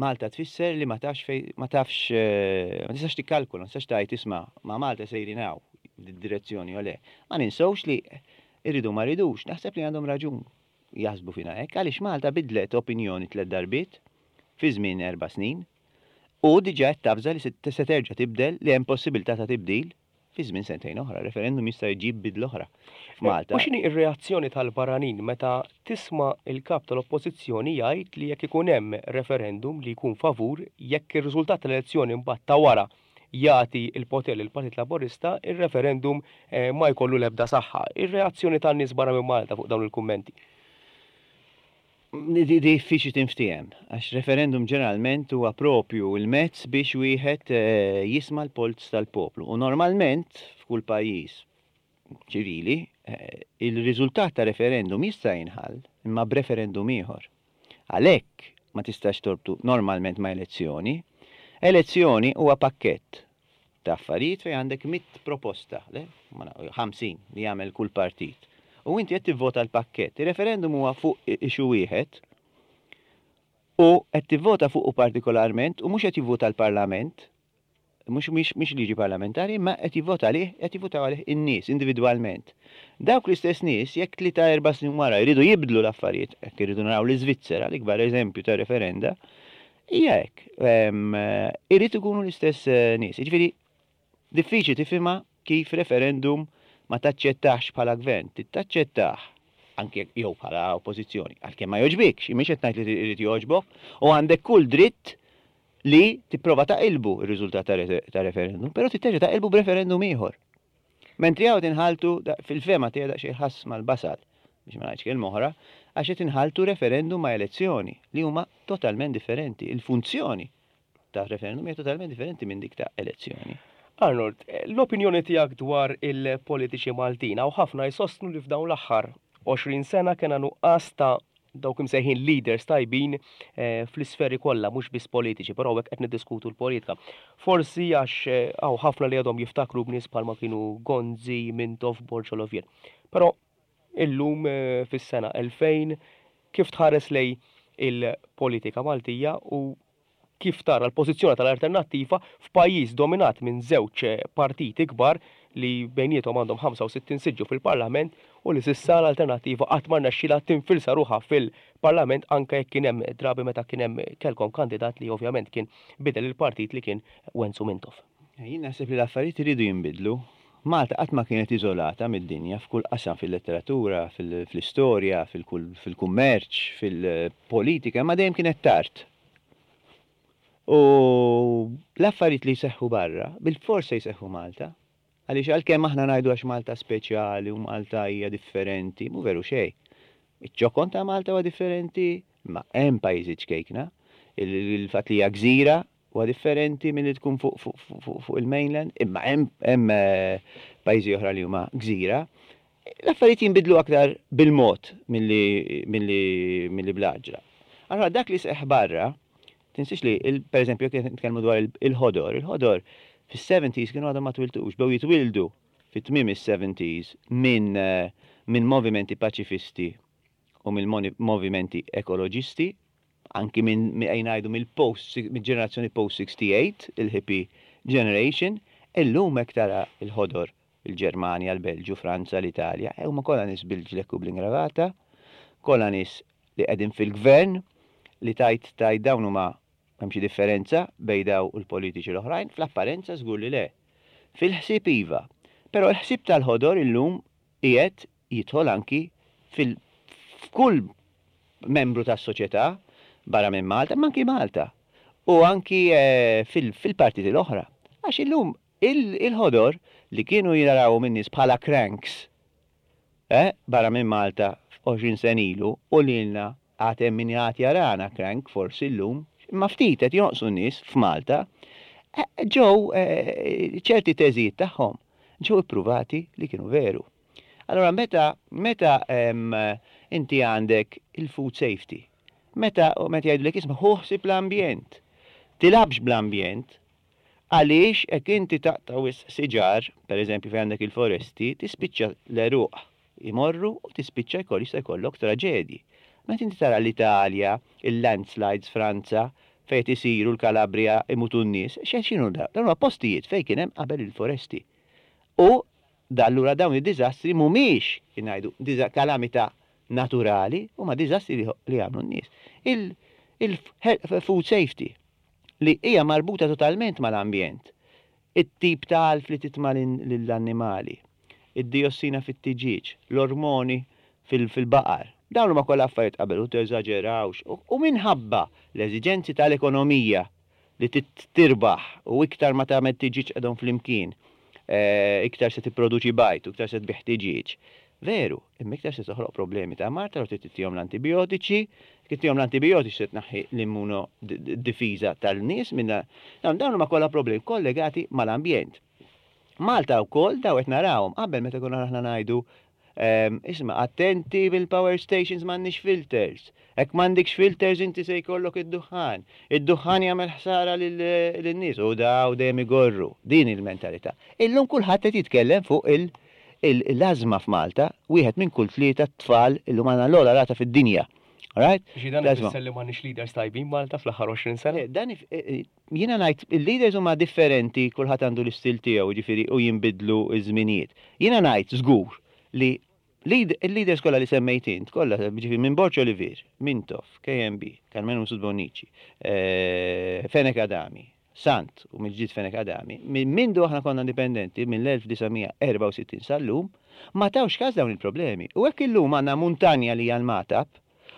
Malta tfisser li ma tafx fejn, ma tafx, ma tistax tikkalkula, ma tistax tgħid isma' ma' Malta sejrin hawn, f'did-direzzjoni jew le. Ma ninsewx li irridu ma rridux, naħseb li għandhom raġun jaħsbu fina hekk għaliex Malta bidlet opinjoni tlett darbiet fi żmien erba' snin u diġà qed tavża li se terġa' tibdel li hemm possibilità ta' tibdil fi żmien sentejn oħra. Referendum jista' jġib bidla oħra f'Malta. U x'inhi r-reazzjoni tal-barranin meta tisma' l-Kap tal-Oppożizzjoni jgħid li jekk ikun hemm referendum li jkun favur, jekk ir-riżultat tal-elezzjoni mbagħad ta' wara jagħti l-poter lill-Partit Laburista, ir-referendum ma jkollu l-ebda saħħa. Ir-reazzjoni tan-nies barra minn Malta fuq dawn il-kummenti? Diffiċli tinftiehem, għax referendum ġeneralment huwa propju l-mezz biex wieħed jisma' l-polz tal-poplu. U normalment f'kull pajjiż ċivili, il-riżultat ta' referendum jista' jinħall imma b'referendum ieħor. Għalhekk ma tistax torbtu normalment ma' elezzjoni. Elezzjoni huwa pakkett ta' affarijiet fejn għandek mitt proposta, le, 50 li jagħmel kull partit. U inti qed tivvota l-pakkett. Ir-referendum huwa fuq issue wieħed u qed tivvota fuqu partikolarment u mhux qed jivvota l-Parlament, mhux mhix liġi parlamentari, imma qed jivvota għalih, qed jivvutaw għalih in-nies individwalment. Dawk l-istess nies jekk tlieta 4 snin wara jridu jibdlu l-affarijiet, jekk iridu naraw l-Iżvizzera, l-ikbar eżempju ta' referenda, hija hekk. Irid ikunu l-istess nies. Jiġifieri diffiċli tifhimha kif referendum ma taċċettax bħala gvern, taċċettah anke jew bħala oppożizzjoni, għalkemm ma jogħġbikx, mhix qed ngħid li irid jogħġbok, u għandek kull dritt li tipprova taqilbu r-riżultat ta' referendum, però trid taqilbu b'referendum ieħor. Mentri hawn tinħaltu fil-fehma tiegħi daqsxejn ħass mal-basal, biex ma ngħidx kelma oħra, għax qed inħaltu referendum ma' elezzjoni li huma totalment differenti. Il-funzjoni ta' referendum hija totalment differenti minn dik ta' elezzjoni. Arnold, l-opinjoni tiegħek dwar il-politiċi Maltin, hawn ħafna jsostnu li f'dawn l-aħħar 20 sena kena nuqqas ta' dawk imsejħin leaders tajbin fl-isferi kollha, mhux biss politiċi, però hekk qed niddiskutu l-politika. Forsi għax hawn ħafna li għadhom jiftakru b'nies bħalma kienu Gonzi, Mintoff, Borg Olivier. Però illum fis-sena 2000 kif tħares lejn il-politika Maltija u kif tara l-pożizzjoni tal-Alternattiva f'pajjiż dominat minn żewġ partiti kbar li bejniethom għandhom 65 siġġu fil-Parlament u li s'issa l-Alternattiva qatt ma rnexxielha tinfilsa ruħha fil-Parlament anke jekk kien hemm drabi meta kien hemm kellkom kandidat li ovvjament kien bidel il-partit li kien Wenzu Mintoff. Jien naħseb li l-affarijiet iridu jinbidlu. Malta qatt ma kienet iżolata mid-dinja f'kull qasam, fil-letteratura, fl-istorja, fil-kummerċ, fil-politika, imma dejjem kienet tard. U l-affarijiet li jseħħu barra, bilfors se jseħħu Malta. Għaliex għalkemm aħna ngħidu għax Malta speċjali u Malta hija differenti, mhu veru xejn. Iċ-ċokon ta' Malta huwa differenti, imma hemm pajjiżi ċkejkna. Il-fatt li hija gżira huwa differenti milli tkun fuq il-mainland, imma hemm pajjiżi oħra li huma gżira. L-affarijiet jinbidlu aktar bil-mod milli bl-għaġla. Allora dak li seħħ barra, tinsiex li, per eżempju, jekk nitkellmu dwar il-ħodor, il-ħodor fis-70s kienu għadhom ma twildux, bdew jitwildu fit-tmiem is-70s minn movimenti paċifisti u mill-movimenti ekoloġisti, anki minn ngħidu mill-post, mill-ġenerazzjoni post-68, il-hippie generation, illum hekk tara il-ħodor il-Ġermanja, l-Belġju, Franza, l-Italja, huma kollha nies bil-ġlekk u bl-ingravata, kollha nies li qegħdin fil-gvern, li tajt tajt dawn huma hemm xi differenza bejn daw u l-politiċi l-oħrajn, fl-apparenza żgur li le. Fil-ħsieb iva. Però l-ħsieb tal-ħodor illum qiegħed jidħol anki fil f'kull membru tas-soċjetà barra minn Malta, imma anki Malta. U anki fil-partiti l-oħra. Għax illum. Il-ħodor li kienu jarawhom in-nies bħala cranks, eh, barra minn Malta 20 sena ilu u lilna għad hemm min għad jarana crank forsi llum, imma ftit qed jonqsu n-nies f'Malta, ġew ċerti teżijiet tagħhom ġew ippruvati li kienu veru. Allura meta meta inti għandek il-food safety, meta meta jgħidulek isma' ħu ħsieb l-ambjent, tilgħabx bl-ambjent, Għaliex hekk inti taqta' wisq siġar, per eżempju fejn għandek il-foresti, tispiċċa l-għeruq imorru u tispiċċa jkoll jista' jkollok traġedji. Meta inti tara l-Italja, il-landslides Franza, fejn qed isiru l-Calabria imutu n-nies, x'inhu dawn? Dawn huma postijiet fejn kien hemm qabel il-foresti. U allura dawn id-diżastri mhumiex, kif ngħidu, kalamità naturali, huma diżastri li jagħmlu n-nies. Il-food safety. li hija marbuta totalment mal-ambjent, it-tip ta' għalf li titma' lill-annimali, id-diossina fit-tiġieġ, l-ormoni fil-baqar. Dawn huma kollha affarijiet qabel u teżaġerawx u minħabba l-eżiġenzi tal-ekonomija li trid tirbaħ u iktar ma tagħmel tiġieġ qegħdhom flimkien, iktar se tipproduċi bajd u iktar se tbigħ tiġieġ. Veru, imma iktar se toħloq problemi ta' mard allura trid ittihom l-antibijotiċi, jekk ittihom l-antibijotiċi se tnaħħi l-immunodifiża tal-nies minn dawn dawn huma kollha problemi kollegati mal-ambjent. Malta wkoll dawn qed narawhom qabel meta konna aħna ngħidu isma' attenti bil-power stations m'għandniex filters. Hekk m'għandikx filters inti se jkollok id-duħħan. Id-duħħan jagħmel ħsara lin-nies u daw dejjem igorru. Din il-mentalità. Illum kulħadd qed jitkellem fuq il- l-ażma f'Malta, wieħed minn kull tlieta tfal illum għandna l-ogħla rata fid-dinja. Alright? Xi dan ifisser li m'għandniex leaders tajbin Malta fl-aħħar 20 sena? Dan jiena ngħid il-leaders huma differenti, kulħadd għandu l-istil tiegħu, jiġifieri u jinbidlu ż-żminijiet. Jiena ngħid żgur li il-leaders kollha li semmejt int, kollha, jiġifieri minn Borg Olivier, Mintoff, KMB, Karmenu Mifsud Bonnici, Fenech Adami, Sant u mill-ġdid Fenech Adami, minn mindu aħna konna indipendenti, mill-1964 sal-lum, ma tawx kas dawn il-problemi. U hekk illum għandna muntanja li hija l-Magħtab,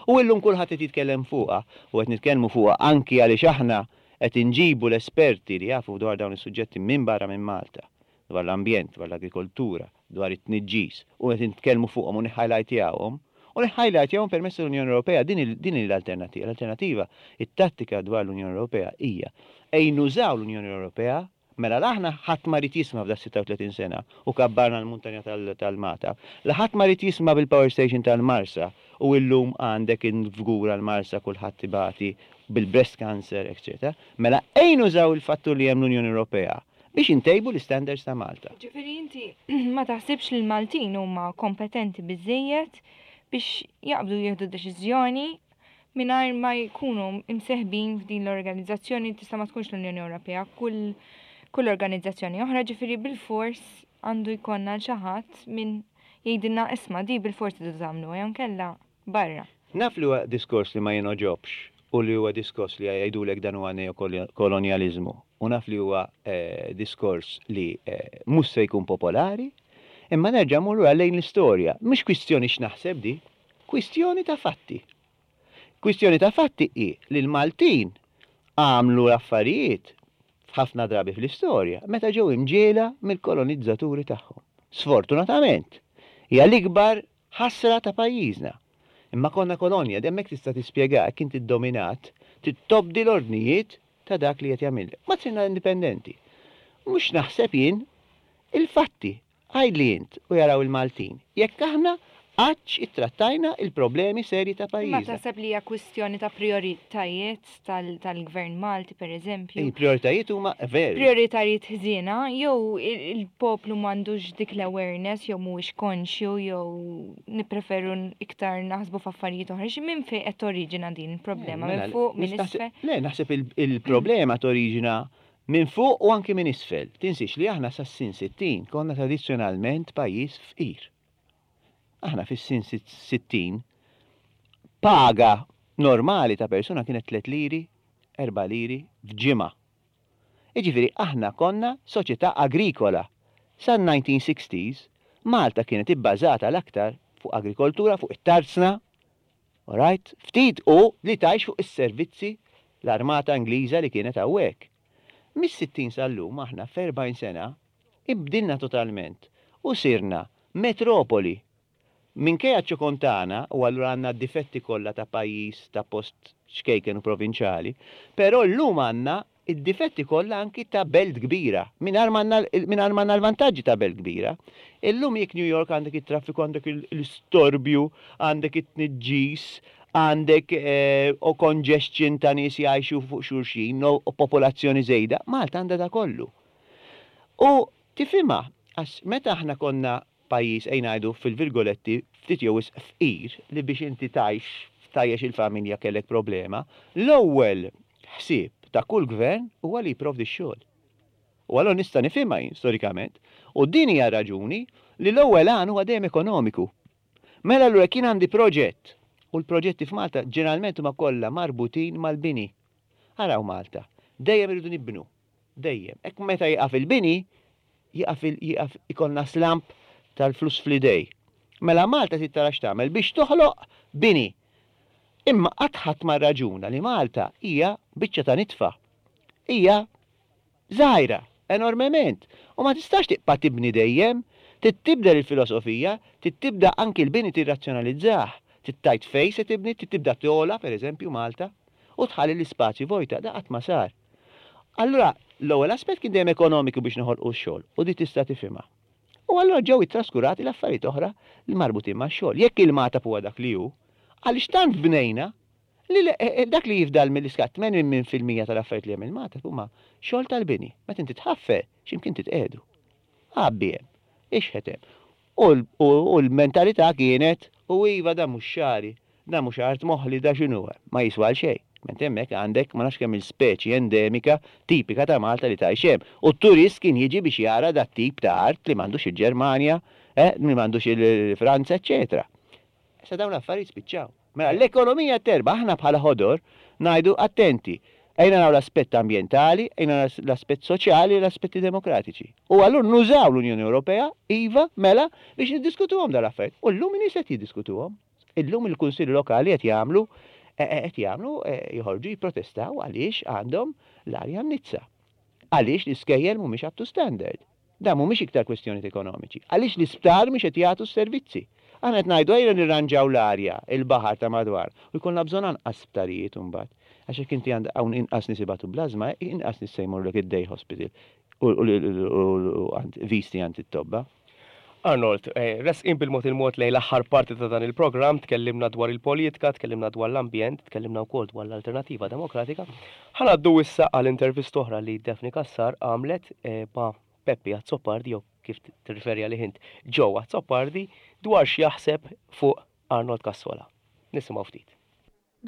u illum kulħadd qed jitkellem fuqha, u qed nitkellmu fuqha anki għaliex aħna qed inġibu l-esperti li jafu dwar dawn is-suġġetti minn barra minn Malta, dwar l-ambjent, dwar l-agrikoltura, dwar it-tniġġis u qed nitkellmu fuqhom u niħħajlajtjawhom, u niħħajlajtjawhom permezz tal-Unjoni Ewropea, din din hi l-alternattiva. L-alternattiva, it-tattika dwar l-Unjoni Ewropea hija ejn nużaw l-Unjoni Ewropea, mela la aħna ħadd ma ried jisma' f'da 36 sena u kabbarna l-muntanja tal-Magħtab, la ħadd ma ried jisma' bil-power station tal-Marsa u illum għandek il-Fgura l-Marsa kulħadd ibati bil-breast cancer, eċċetera, mela ejn nużaw il-fattur li hemm l-Unjoni Ewropea biex intejbu l-istandards ta' Malta. Jiġifieri inti ma taħsibx li l-Maltin huma kompetenti biżżejjed biex jaqbdu jieħdu deċiżjoni mingħajr ma jkunu imseħbin f'din l-organizzazzjoni tista' ma tkunx l-Unjoni Ewropea, kull kull organizzazzjoni oħra, ġifieri bilfors għandu jkollna l xi ħadd min jgħidilna isma' di bilfors tridu tagħmluha jew inkella barra. Naf li huwa diskors li ma jingħoġobx u li huwa diskors li jgħidulek dan huwa neokolonjaliżmu u naf li huwa diskors li mhux se jkun popolari, imma nerġa' mmur lura lejn l-istorja. Mhix kwistjoni x'naħseb di, kwistjoni ta' fatti. Kwistjoni ta' fatti hi li l-Maltin għamlu l-affarijiet ħafna drabi fl-istorja meta ġew imġiegħla mill-kolonizzaturi tagħhom. Sfortunatament, hija l-ikbar Ħasra ta' pajjiżna. Imma konna kolonja, hemmhekk tista' tispjega hekk inti ddominat, trid tobdi l-ordnijiet ta' dak li qed jagħmillek. Ma sirna indipendenti. Mhux naħseb jien, il-fatti. Għidli int u jaraw il-Maltin, jekk aħna qattx ittrattajna il-problemi serji ta' Imma pajjiżna. taħseb li hija kwistjoni ta' prijoritajiet tal-Gvern Malti pereżempju? Il-prijoritajiet huma veri. Prijoritajiet ħżiena jew il-poplu m'għandux dik l-awareness jew mhuwiex konxju jew nippreferu iktar naħsbu f'affarijiet oħra. Xi minn fejn qed toriġina din il-problema? Minn Mela, fuq, minn naħseb- isfel? Le, naħseb il-problema toriġina minn fuq u anki minn isfel. Tinsiex li aħna sas-sin 60 konna tradizzjonalment pajjiż fqir. Aħna fis-sin 60 paga normali ta' persuna kienet 3 liri, 4 liri f'ġimgħa. Jiġifieri aħna konna soċjetà agrikola. Sal-1960s Malta kienet ibbażata l-aktar fuq agrikoltura, fuq it-tarzna, alright? Ftit u li tgħix fuq is-servizzi l-armata Ingliża li kienet hawnhekk. Mis-60 sal-lum aħna f'40 sena inbdilna totalment u sirna metropoli. Minkejja ċ-ċokon tagħna, u allura għandna d-difetti kollha ta' pajjiż ta' post ċkejken u provinċjali, però llum għandna d-difetti kollha anki ta' belt kbira, mingħajr ma għandna mingħajr ma għandna l-vantaġġi ta' belt kbira. Illum jekk New York għandek it-traffiku, għandek l-istorbju, għandek it-tniġġis, għandek o congestion ta' nies jgħixu fuq xulxin, u popolazzjoni żejda, Malta għandha da kollu. U tifhimha, għax meta aħna konna pajjiż ejja ngħidu fil-virgoletti ftit jew wisq fqir li biex inti tgħix tgħajjex il-familja kellek problema, l-ewwel ħsieb ta' kull gvern huwa li jipprovdi x-xogħol. U allura nista' nifhimha jien storikament. U din hija r-raġuni li l-ewwel għan huwa dejjem ekonomiku. Mela allura jekk jien għandi proġett, u l-proġetti f'Malta ġeneralment huma kollha marbutin mal-bini. Araw Malta, dejjem irridu nibnu. Dejjem. Hekk meta jieqaf il-bini, jieqaf il, jieqaf, ikollna slump tal-flus fl-idej. Mela Malta trid tara x'tagħmel biex toħloq bini. Imma qatt ħadd ma rraġuna li Malta hija biċċa ta' nitfa. Hija żgħira enormement u ma tistax tibqa' tibni dejjem. Trid tibdel il-filosofija, trid tibda anki l-bini tirrazzjonalizzah. Trid tgħid fejn se tibni, trid tibda togħla, pereżempju, Malta, u tħalli l-ispazju vojta. Da qatt ma sar. Allura, l-ewwel aspett kien dejjem ekonomiku biex noħolqu x-xogħol u di tista' tifhimha. U allura ġew ittraskurati l-affarijiet oħra li marbutin max-xogħol. Jekk il-Magħtab huwa dak li hu, għaliex tant bnejna li dak li jifdal mill-iskart 80% tal-affarijiet li hemm il-Magħtab huma xogħol tal-bini. Meta inti tħaffer, x'imkien titqiegħdu. Għabbi hemm, ixħet hemm. U l-mentalità kienet, u iva dan mhux xagħri, dan mhux art moħli, da x'inhu, ma jiswa għal xejn. Mentri hemmhekk għandek ma nafx kemm-il speċi endemika tipika ta' Malta li tgħix hemm. U t-turist kien jiġi biex jara dat-tip ta' art li m'għandux il-Ġermanja, li m'għandux il-Franza, eċċetera. Issa dawn l-affarijiet spiċċaw. Mela l-ekonomija terbaħ, aħna bħala ħodor ngħidu attenti, ejja naraw l-aspett ambjentali, ejja naraw l-aspett soċjali, l-aspetti demokratiċi. U allura nużaw l-Unjoni Ewropea, iva, mela, biex niddiskutuhom dawn l-affarijiet. U llum in-nies qed jiddiskutuhom. Illum il-kunsilli lokali qed jagħmlu qed jagħmlu joħorġu jipprotestaw għaliex għandhom l-arja mniġġsa. Għaliex l-iskejjel mhumiex up to standard. Dawn mhumiex iktar kwestjonijiet ekonomiċi. Għaliex l-isptar mhux qed jagħtu s-servizzi? Aħna qed ngħidu ejja nirranġaw l-arja, il-baħar ta' madwar, u jkollna bżonn anqas sptarijiet imbagħad. Għax jekk inti għandek hawn inqas nies ibatu bl-ażma, inqas nies se jmorrulek id-day hospital u għand visti għand it-tobba. Arnold, resqin bil-mod il-mod lejn l-aħħar parti ta' dan il-programm, tkellimna dwar il-politika, tkellimna dwar l-ambjent, tkellimna wkoll dwar l-Alternattiva Demokratika. Ħa ngħaddu issa għal intervista oħra li Daphne Cassar għamlet ma' Peppi Azzopardi jew kif tirriferi għalih int Joe Azzopardi dwar x'jaħseb fuq Arnold Cassola. Nisimgħu ftit.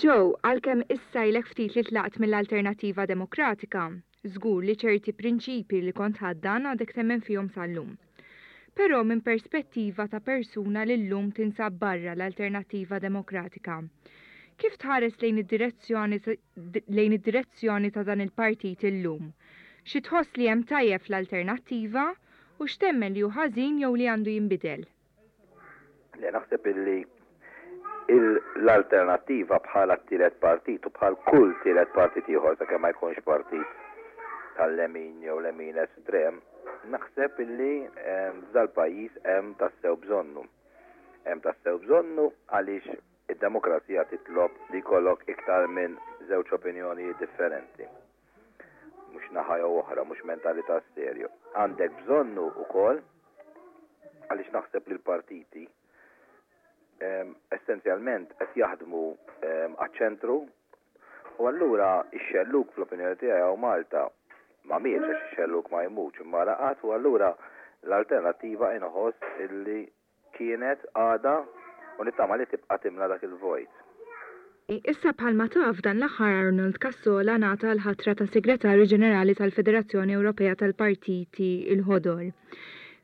Joe, għalkemm issa ilek ftit li tlaqt mill-Alternattiva Demokratika, żgur li ċerti prinċipji li kont tħaddan għadek temmen fihom sal-lum. Però minn perspettiva ta' persuna li llum tinsab barra l-Alternattiva Demokratika, kif tħares lejn id-direzzjoni lejn id-direzzjoni ta' dan il-partit illum? Xi tħoss li hemm tajjeb fl-Alternattiva u x'temmen li hu ħażin jew li għandu jinbidel? Le, naħseb illi l-Alternattiva bħala t-tielet partit u bħal kull tielet partit ieħor sakemm ma jkunx partit tal-lemin jew lemin estrem, naħseb illi f'dal-pajjiż hemm tassew bżonnu. Hemm tassew bżonnu għaliex id-demokrazija titlob li jkollok iktar minn żewġ opinjonijiet differenti. Mhux naħa jew oħra, mhux mentalità stereo. Għandek bżonnu wkoll għaliex naħseb li l-partiti essenzjalment qed jaħdmu għaċ-ċentru u allura x-xellug fl-opinjoni tiegħi hawn Malta ma mietx għax ix-xellug ma jmutx imma raqad u allura l-alternattiva inħoss illi Kienet, għadha, u nittama li tibqa' timla dak il-vojt. Issa bħalma taf dan l-aħħar Arnold Cassola ngħata l-ħatra ta' Segretarju Ġenerali tal-Federazzjoni Ewropea tal-Partiti l-Ħodor.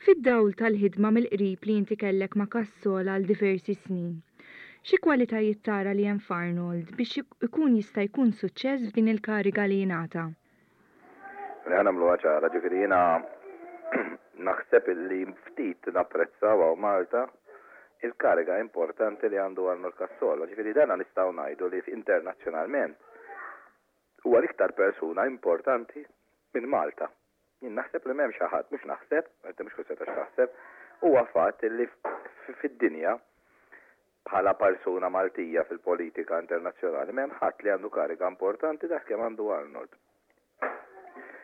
Fid-dawl tal-ħidma mill-qrib li inti kellek ma' Cassola għal diversi snin, xi kwalitajiet tara li hemm f'Arnold biex ikun jista' jkun suċċess f'din il-kariga li ngħata? Li ħa nagħmluha ċara, ġifieri jiena naħseb illi ftit napprezzaw hawn Malta il-kariga importanti li għandu Arnold Cassola. Ġifieri dana nistgħu ngħidu li internazzjonalment huwa l-iktar persuna importanti. minn Malta. Jien naħseb li m'hemm xi ħadd, mhux naħseb, inti mhux kwistjoni ta' x'taħseb, huwa fatt li fid-dinja bħala persuna Maltija fil-politika internazzjonali m'hemm ħadd li għandu kariga importanti daqs kemm għandu Arnold.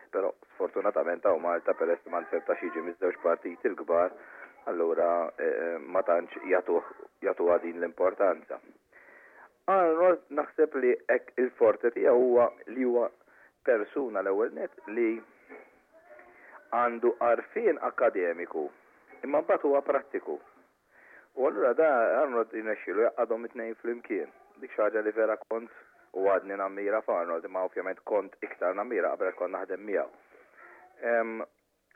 Però sfortunatament hawn Malta peress li ma nzertax jiġi miż-żewġ partiti l-kbar, allura ma tantx jagħtuh jagħtuha din l-importanza. Arnold naħseb li hekk il-forte tiegħu huwa li huwa persuna l-ewwel nett li għandu għarfien akkademiku imma mbagħad huwa prattiku. U allura da Arnold jirnexxielu jgħaqqadhom it-tnejn flimkien. Dik xi ħaġa li vera kont u għadni nammira f'Arnold imma ovvjament kont iktar nammira qabel għax kont naħdem miegħu.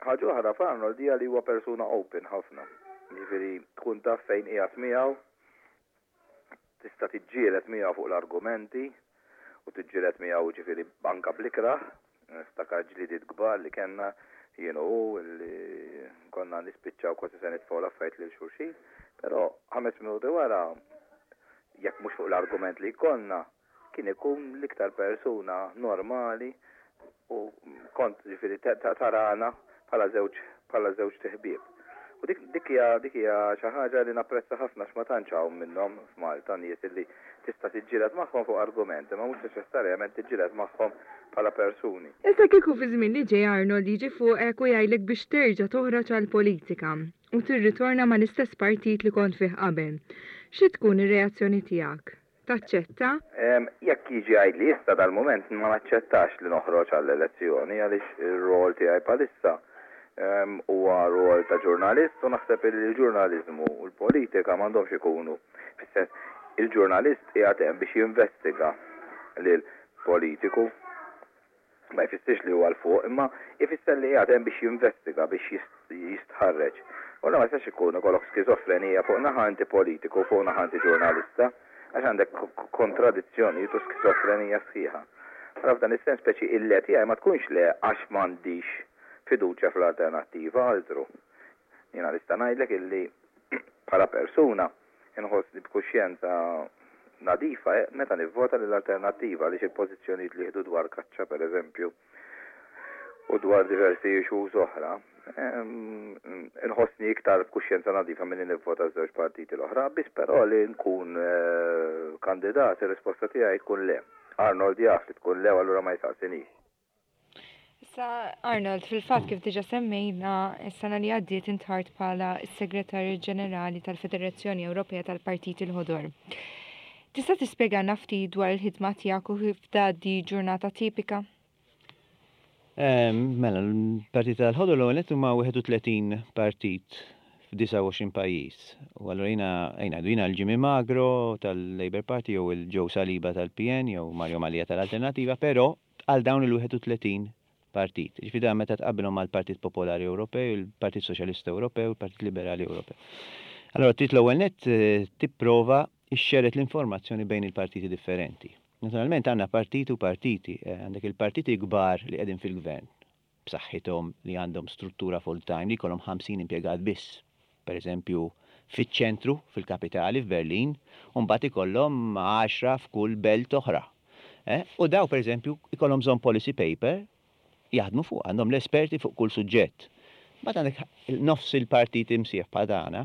Ħaġa oħra f'Arnold hija li huwa persuna open ħafna. Jiġifieri tkun taf fejn qiegħed miegħu, tista' tiġġieled miegħu fuq l-argumenti u tiġġieled miegħu jiġifieri anke bl-ikrah. Niftakar ġlidiet kbar li kellna jien u hu li konna nispiċċaw kważi se nitfgħu l-affarijiet lil xulxin, però ħames minuti wara, jekk mhux fuq l-argument li jkollna, kien ikun l-iktar persuna normali u kont ġifieri tarana bħala żewġ bħala żewġt iħbieb. U dik dik hija dik hija xi ħaġa li napprezza ħafna għax ma tantx hawn minnhom f'Malta nies illi tista' tiġġieled magħhom fuq argument imma mhux neċessarjament tiġġieled magħhom bħala persuni. Issa kieku fiż-żmien li ġej Arnold jiġi fuqek u jgħidlek biex terġa' toħroġ għall-politika u tirritorna mal-istess partit li kont fih qabel, xi tkun ir-reazzjoni tiegħek? Taċċetta? Jekk jiġi jgħidli issa dal-mument ma naċċettax li noħroġ għall-elezzjoni għaliex ir-role tiegħi bħalissa huwa role ta' ġurnalist u naħseb li l-ġurnaliżmu u l-politika m'għandhomx ikunu fis-sens il-ġurnalist qiegħed hemm biex jinvestiga lil politiku. Ma jfissirx li huwa 'l fuq, imma jfisser li qiegħed hemm biex jinvestiga, biex jistħarreġ. U allura ma jistax ikun ikollok skiżofrenija fuq naħa inti politiku u fuq naħa inti ġurnalista, għax għandek kontradizzjonijiet u skiżofrenija sħiħa. Allura f'dan is-sens speċi il-le tiegħi ma tkunx le għax m'għandix fiduċja fl-alternattiva, altru. Jiena nista' ngħidlek illi bħala persuna Inħossni b'kuxjenza nadifa meta nivvota lill-Alternattiva għaliex il-pożizzjonijiet li jieħdu dwar kaċċa pereżempju u dwar diversi issues oħra, inħossni iktar b'kuxjenza nadifa milli nivvota ż-żewġ partiti l-oħra. Biss però li nkun kandidat ir-risposta tiegħi tkun le. Arnold jaf li tkun le u allura ma jsaqsinix. Issa, Arnold, fil-fatt kif diġa semmejna, is-sena li għaddiet intħart bħala s-Segretarju Ġenerali tal-Federazzjoni Ewropea tal-Partiti l-Ħodor. Tista' tispjegana ftit dwar il-ħidma tiegħek u kif tgħaddi ġurnata tipika? Mela, l-Partit tal-Ħodor l-ewwel nett huma 31 partit f'29 pajjiż. U allura jiena, ejja ngħidu, jiena l-Jimmy Magro tal-Labour Party jew il-Joe Saliba tal-PN jew Mario Mallia tal-Alternattiva, però għal dawn il-31 partit. Jiġifieri dan meta tqabbilhom mal-Partit Popolari Ewropew, il-Partit Soċjalista Ewropew, il-Partit Liberali Ewropew. Allura trid l-ewwel nett tipprova xxerred l-informazzjoni bejn il-partiti differenti. Naturalment għandna partiti u partiti, għandek il-partiti kbar li qegħdin fil-gvern, b'saħħithom li għandhom struttura full-time li jkollhom 50 impjegat biss, pereżempju fiċ-ċentru, fil-kapitali, f'Berlin, u mbagħad ikollhom għaxra f'kull belt oħra. U daw pereżempju jkollhom bżonn policy paper jaħdmu fuqha, għandhom l-esperti fuq kull suġġett. Mbagħad għandek nofs il-partiti msieħba tagħna,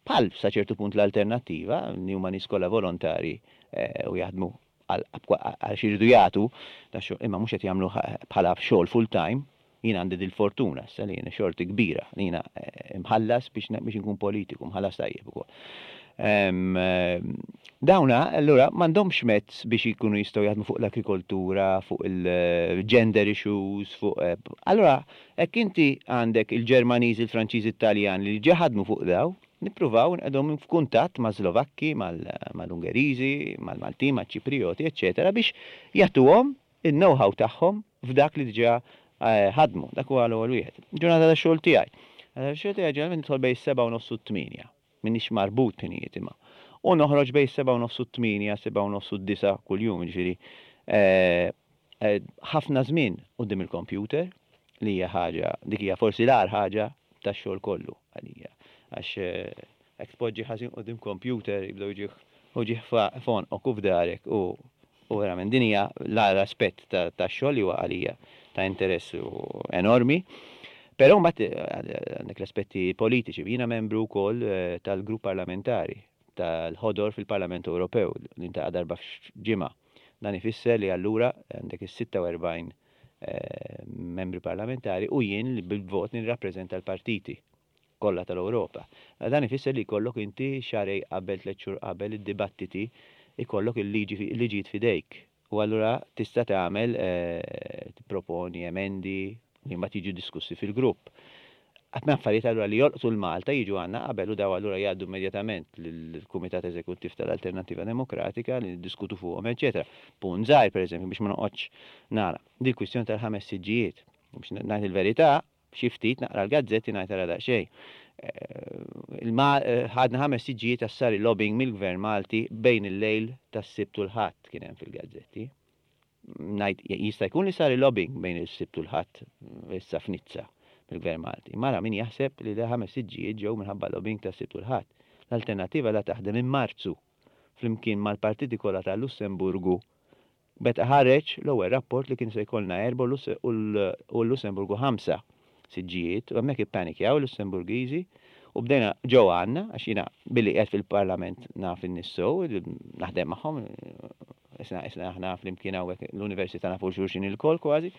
bħal sa ċertu punt l-Alternattiva, li huma nies kollha volontarji u jaħdmu għal xi jridu jagħtu dax-xogħol, imma mhux qed jagħmluh bħala xogħol full time. Jien għandi dil-fortuna issa li jiena xorti kbira li jiena mħallas biex biex inkun politiku, mħallas tajjeb ukoll. Dawna allura m'għandhomx mezz biex ikunu jistgħu jaħdmu fuq l-agrikoltura, fuq il-gender issues, fuq allura Hekk inti għandek il-Ġermaniżi, il-Franċiżi, it-Taljani li ġa ħadmu fuq daw, nippruvaw nqegħdhom f'kuntatt mas-Slovakki, mal-Ungeriżi, mal-Maltin, maċ-Ċiprijoti, eċċetera biex jagħtuhom in-know-how tagħhom f'dak li diġà ħadmu. Dak huwa l-ewwel wieħed. Ġurnata tax-xogħol tiegħi. Ġurnata tax-xogħol tiegħi ġeneralment nidħol bejn is-sebgħa u nofs u t-tmienja. M'iniex marbut b'ħinijiet imma. U noħroġ bejn is-sebgħa u nofs u t-tmienja, sebgħa u nofs u d-disgħa kuljum, jiġifieri ħafna żmien quddiem il-kompjuter, li hija ħaġa, dik hija forsi l-agħar ħaġa tax-xogħol kollu għalija. Għax jekk tpoġġi ħażin quddiem kompjuter jibdew jiġih uġigħ f'għonqok u f'darek u verament din hija l-agħar aspett tax-xogħol li huwa għalija ta' interess enormi. Però mbagħad għandek l-aspetti politiċi. Jiena membru wkoll tal-grupp parlamentari tal-Ħodor fil-Parlament Ewropew li ntaqa' darba f'ġimgħa. Dan ifisser li allura għandek is-46 membri parlamentari u jien li bil-vot nirrappreżenta l-partiti kollha tal-Ewropa. Dan ifisser li jkollok inti xahrejn qabel, tlett xhur qabel id-dibattiti jkollok il-liġijiet f'idejk. U allura tista' tagħmel, tipproponi emendi li mbagħad jiġu diskussi fil-grupp. Ħafna affarijiet allura li jolqtu 'l Malta jiġu għandna qabel u daw allura jgħaddu immedjatament lill-Kumitat Eżekuttiv tal-Alternattiva Demokratika li niddiskutu fuqhom eċċetera. Punt żgħir pereżempju biex ma noqgħodx nara, dil-kwistjoni tal-ħames siġġijiet. Biex ngħid il-verità, Xi ftit naqra l-gazzetti ngħid ara daqsxejn. Ħadna ħames siġġijiet għax sar il-lobbying mill-Gvern Malti bejn il-lejl tas-Sibt u l-Ħadd kien hemm fil-gazzetti. Ngħid jista' jkun li sar il-lobbying bejn is-Sibt u l-Ħadd issa f'Nizza mill-Gvern Malti. Imma ara min jaħseb li l-ħames siġġijiet ġew minħabba lobbying tas-Sibt u l-Ħadd. L-Alternattiva la taħdem minn Marzu flimkien mal-partiti kollha tal-Lussemburgu Meta ħareġ l-ewwel rapport li kien se jkollna erbgħa u l-Lussemburgu ħamsa siġġijiet u hemmhekk ippanikjaw il-Lussemburgiżi u bdejna ġew għandna għax jiena billi qiegħed fil-Parlament naf in-nies sew, naħdem magħhom, isna isna aħna flimkien hawnhekk l-università nafu xulxin ilkoll kważi.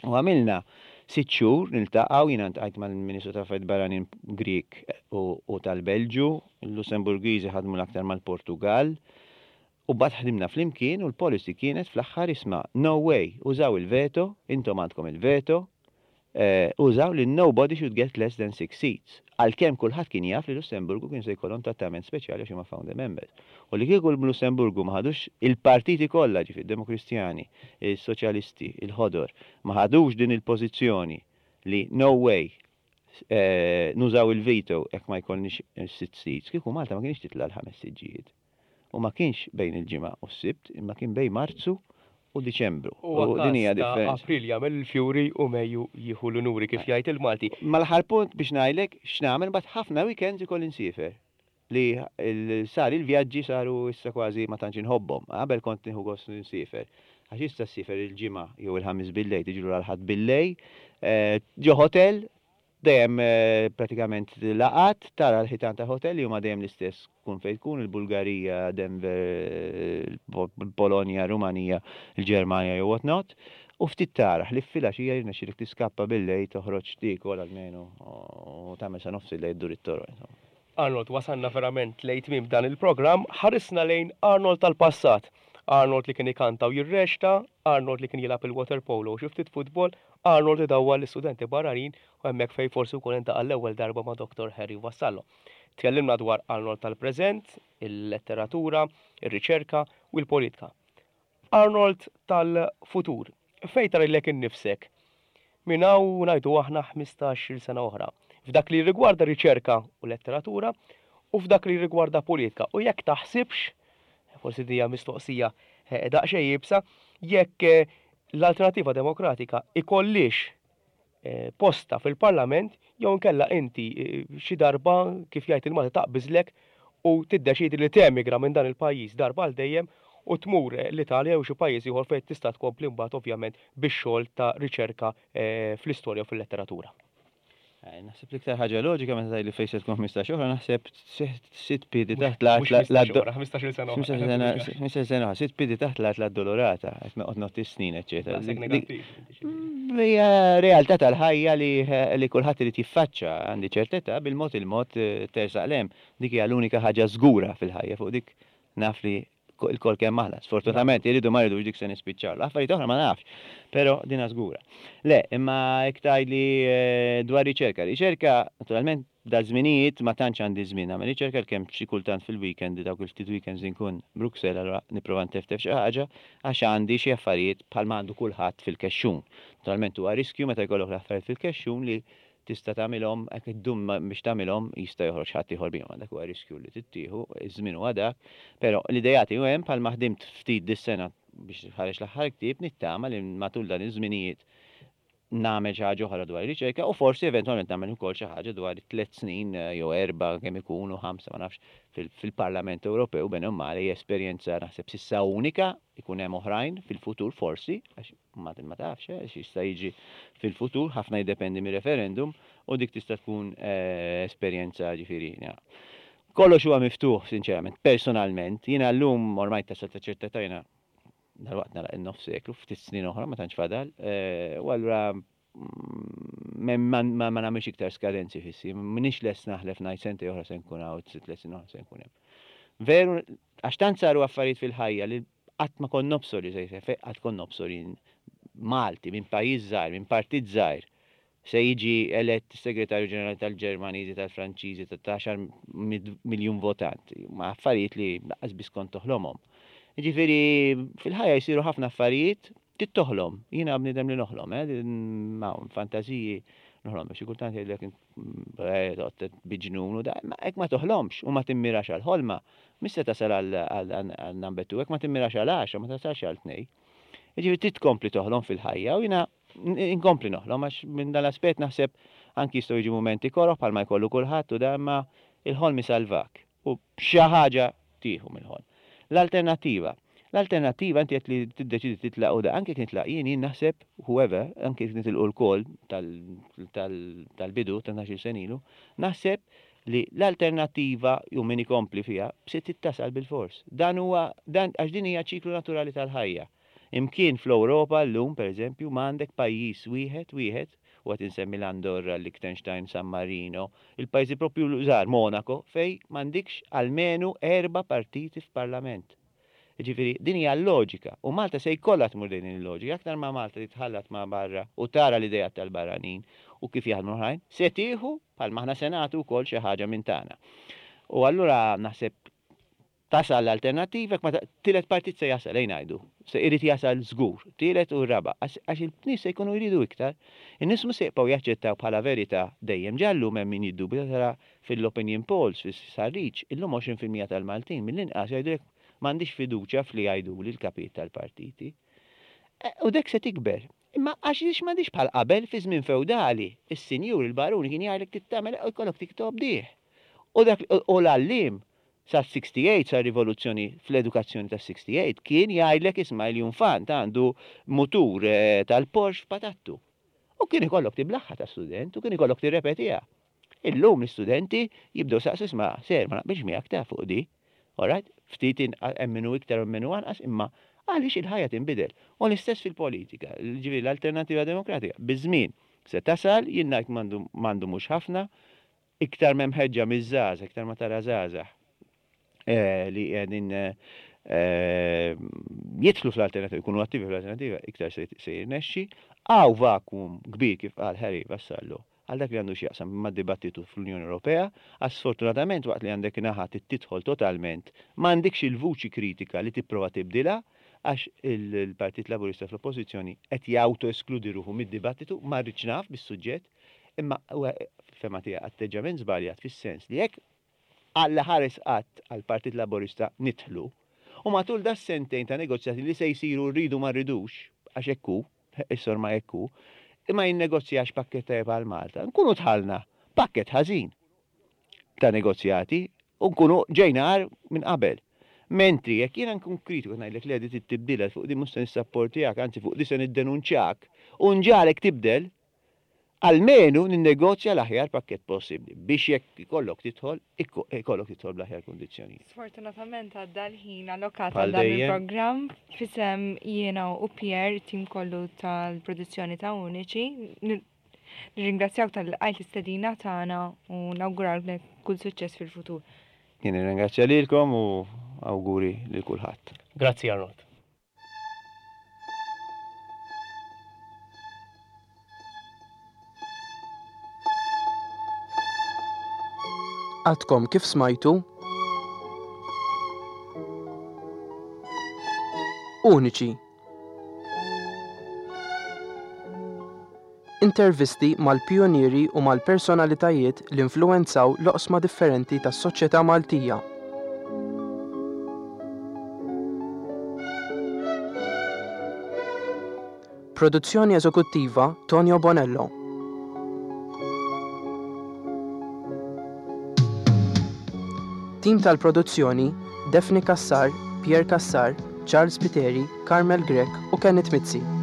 U għamilna sitt xhur niltaqgħu, jiena ltqajt mal-Ministru tal-Affarijiet Barranin Grieg u tal-Belġju, il-Lussemburgiżi ħadmu l-aktar mal-Portugall, U mbagħad ħdimna flimkien u l-policy kienet fl-aħħar isma' no way, użaw il-veto, intom għandkom il-veto, użaw li nobody should get less than six seats. Għalkemm kulħadd kien jaf li Lussemburgu kien se jkollhom trattament speċjali għax huma founder members. U li kieku l-Lussemburgu ma ħadux il-partiti kollha, ġifieri d-Demokristjani, is-Soċjalisti, il-Ħodor, ma ħadux din il-pożizzjoni li no way, nużaw il-veto jekk ma jkollniex sitt seats, kieku Malta ma kienx titla' l-ħames siġġijiet. U ma kienx bejn il-Ġimgħa u s-Sibt, imma kien bejn Marzu u Diċembru. Huwa U din każ hija ta' differenza. April jagħmel il-fjuri u Mejju jieħu l-unuri kif jgħid il-Malti. Ma l-aħħar punt biex ngħidlek x'nagħmel imbagħad ħafna weekends ikolli nsiefer. Li sar il-vjaġġi saru issa kważi ma tantx inħobbhom. Qabel kont nieħu gost nsiefer. Għax issa ssiefer il-Ġimgħa jew il-Ħamis billejl tiġi lura l-Ħadd billejl, ġo hotel, Dejjem pratikament laqgħat, tara l-ħitan tal-hotel li huma dejjem l-istess tkun fejn tkun, il-Bulgarija, Denver, il-Polonja, Rumanija, il-Ġermanja jew what not, u ftit tara, ħlief filgħaxija jirnexxilek tiskappa bil-lejl toħroġ tiekol almenu u tagħmel sa nofs il-lejl ddur it-toroq insomma. Arnold, wasalna verament lejn tmiem dan il-programm, ħarisna lejn Arnold tal-passat. Arnold li kien ikanta u jirreċta, Arnold li kien jilgħab il-waterpolo u xi ftit futbol, Arnold idawwar l-istudenti barranin u hemmhekk fejn forsi wkoll iltaqa' l-ewwel darba ma' Dottor Harry Vassallo. Tkellimna dwar Arnold tal-preżent, il-letteratura, ir-riċerka u l-politika. Arnold tal-futur, fejn tara lilek innifsek minn hawn ngħidu aħna 15-il sena oħra, f'dak li jirrigwarda riċerka u letteratura u f'dak li jirrigwarda politika u jekk taħsibx, forsi din hija mistoqsija daqsxejn iebsa, jekk l-Alternattiva Demokratika ikollhiex postha fil-Parlament jew inkella inti xi darba, kif jgħid il-Malti, taqbiżlek u tiddeċiedi li temigra minn dan il-pajjiż darba għal dejjem u tmur l-Italja jew xi pajjiż ieħor fejn tista' tkompli mbagħad ovvjament bix-xogħol ta' riċerka fl-istorja u fil-letteratura. Naħseb l-iktar ħaġa loġika meta tgħidli fejn se tkun 15 oħra naħseb sitt piedi taħt l-art. Mhux 15 oħra, 15-il sena oħra. 15-il sena oħra, sitt piedi taħt l-art l-Addolorata, qed noqgħod ngħodd is-snin, eċċetera. Daqshekk negattiv. Hija realtà tal-ħajja li kulħadd irid jiffaċċa, għandi ċertezza bil-mod il-mod tersaq 'l hemm. Dik hija l-unika ħaġa żgura fil-ħajja, fuq dik naf li ilkoll kemm aħna. Sfortunatament iridu ma rridux dik se nispiċċaw. L-affarijiet oħra ma nafx, però dina żgura. Le, imma jekk tgħidli dwar riċerka, riċerka naturalment daż-żminijiet ma tantx għandi żmien nagħmel riċerka għalkemm xi kultant fil-weekend, dawk il-ftit weekends li nkun Bruxelles allura nipprova nteftef xi ħaġa għax għandi xi affarijiet bħalma għandu kulħadd fil-kexxun. Naturalment huwa riskju meta jkollok l-affarijiet fil-kexxun li tista' tagħmilhom, hekk iddum biex tagħmilhom jista' joħroġ ħadd ieħor bihom, dak huwa riskju li trid tieħu, iż-żmien huwa dak, però l-ideat hu hemm bħalma ħdimt ftit dis-sena biex ħareġ l-aħħar ktieb, nittama li matul dan iż-żminijiet. nagħmel xi ħaġa oħra dwar ir-riċerka u forsi eventwalment nagħmel ukoll xi ħaġa dwar it-tlet snin eh, jew erba' kemm ikunu ħamsa ma nafx fil-Parlament Ewropew bene u male hija esperjenza naħseb sissa unika, ikun hemm oħrajn fil-futur forsi, għax ma ma tafx eh, x'jista' jiġri fil-futur, ħafna jiddependi mir-referendum u dik tista' tkun eh, esperjenza ġifieri. Kollox huwa miftuħ, sinċerament, personalment, jiena llum ormai tasal ta' ċerta età jiena dalwaqt nagħlaq in-nofs seklu, ftit snin oħra ma tantx fadal, eh, u allura mm, ma nagħmilx iktar skadenzi fissi, m'iniex lest naħlef ngħid sentej oħra se nkun hawn, tliet snin oħra se nkun hemm. Veru, għax tant saru affarijiet fil-ħajja li qatt ma kont nobsor li se jseħħ, qatt kont nobsor jien Malti minn pajjiż żgħir, minn partit żgħir, se jiġi elett segretarju ġenerali tal-Ġermaniżi, tal-Franċiżi, ta' 10 miljun votant. Ma affarijiet li lanqas biss kont toħlomhom. Jiġifieri fil-ħajja jsiru ħafna affarijiet trid toħlom. Jiena bniedem li noħlom, eh, ma fantażiji noħlom, xi kultant jgħidlek eh, toqgħod biġnun u da, ma hekk ma toħlomx u ma timmirax għal ħolma, mhux se tasal għal number 2, hekk ma timmirax għal 10, ma tasalx għal 2. Jiġifieri trid tkompli toħlom fil-ħajja u jiena inkompli noħlom għax minn dan l-aspett naħseb anki jistgħu jiġu mumenti koroh bħalma jkollu kulħadd u da imma il-ħolm isalvak u xi ħaġa tieħu mill-ħolm. L-alternattiva. L-alternattiva inti qed li tiddeċidi titlaq u da anke jekk nitlaq jien jien naħseb whoever anke jekk nitilqu lkoll tal-bidu ta' 12-il sena ilu, naħseb li l-alternattiva u min ikompli fiha se trid tasal bilfors. Dan huwa dan għax din hija ċiklu naturali tal-ħajja. Imkien fl-Ewropa llum, pereżempju, ma għandek pajjiż wieħed wieħed, u qed insemmi l-Andorra, l-Liechtenstein, San Marino, il-pajjiżi proprju żgħar, Monaco, fejn m'għandikx almenu erba' partiti f'parlament. Jiġifieri, din hija l-loġika. U Malta se jkollha tmur lejn din il-loġika. Aktar ma Malta titħallat ma' barra u tara l-ideat tal-barranin u kif jaħdmu l-oħrajn, se tieħu, bħalma aħna se nagħtu wkoll xi ħaġa minn tagħna. U allura naħseb Tasal l-alternattiva, jekk ma tielet partit se jasal, ejja ngħidu. Se irid jasal żgur, tielet u r-raba', għax in-nies se jkunu jridu iktar. In-nies mhux se jibqgħu jaċċettaw bħala verità dejjem. Ġa llum hemm min jiddubita tara fil-opinion polls, fis-sħarriġ, illum 20% tal-Maltin mill-inqas jgħidulek m'għandix fiduċja f'li jgħiduli l-kapijiet tal-partiti. U dek se tikber. Imma għax m'għandix bħal qabel fi żmien fewdali, is-sinjur, il-baruni kien jgħidlek trid tagħmel u jkollok tobdih. U dak u l-għalliem Sas-68, sar-rivoluzzjoni fl-edukazzjoni tas-68, kien jgħidlek isma' il-Junfant għandu mutur tal-Porsche f'patattu. U kien ikollok tiblaħħa ta' student u kien ikollok tirrepetiha. Illum l-istudenti jibdew saqsu isma' ser ma naqbilx miegħek ta' fuq di. Alright? Ftit hemm min hu iktar u hemm min hu anqas imma għaliex il-ħajja tinbidel. U l-istess fil-politika, ġifieri l-Alternattiva Demokratika biż-żmien se tasal, jien ngħid m'għandu mhux ħafna, Iktar m'hemm ħeġġa miż-żgħażagħ, iktar ma tara żgħażagħ li qegħdin jidħlu fl-alternativa, jkunu attivi fl-alternativa, iktar se jirnexxi. Hawn vacuum kbir kif qal Harry Vassallo għal dak li għandu x'jaqsam mad-dibattitu fl-Unjoni Ewropea, għax sfortunatament waqt li għandek naħa trid tidħol totalment, m'għandikx il-vuċi kritika li tipprova tibdilha għax il-Partit Laburista fl-Oppożizzjoni qed jawto-eskludi ruħu mid-dibattitu, ma rridx naf bis-suġġett, Imma huwa fil-fehma tiegħi atteġġjament żbaljat fis-sens li jekk Alla ħares qatt għall-Partit Laburista nidħlu, u matul das-sentejn ta' negozjati li se jsiru rridu ma rridux, għax hekk hu, is-sormai hekk hu, ma jinnegozjax pakkett tajjeb għal Malta, nkunu dħalna pakkett ħażin ta' negozjati u nkunu ġejna agħar minn qabel. Mentri jekk jiena nkun kritiku ngħidlek le di trid tibdilha, fuq di mhux se nissapportjak, anzi fuq di se niddenunċjak u nġagħlek tibdel, Almenu ninnegozja l-aħjar pakkett possibbli biex jekk ikollok tidħol, ikollok tidħol bl-aħjar kundizzjonijiet. Sfortunatament għadda l-ħin allokat għal dan il-programm f'isem jiena u Pierre, it-tim kollu tal-produzzjoni ta' Uniċi. Nirringrazzjawk talli lqajt l-istedina tagħna u nawguralek kull suċċess fil-futur. Jien nirringrazzja lilkom u awguri lil kulħadd. Grazzi Arnold. Għadkom kif smajtu Uniċi Intervisti mal-pijunieri u mal-personalitajiet li influwenzaw l-oqsma differenti tas-soċjetà Maltija. Produzzjoni eżekuttiva Tonio Bonello. Tim tal-produzzjoni Daphne Cassar, Pierre Cassar, Charles Spiteri, Carmel Grech u Kenneth Mizzi.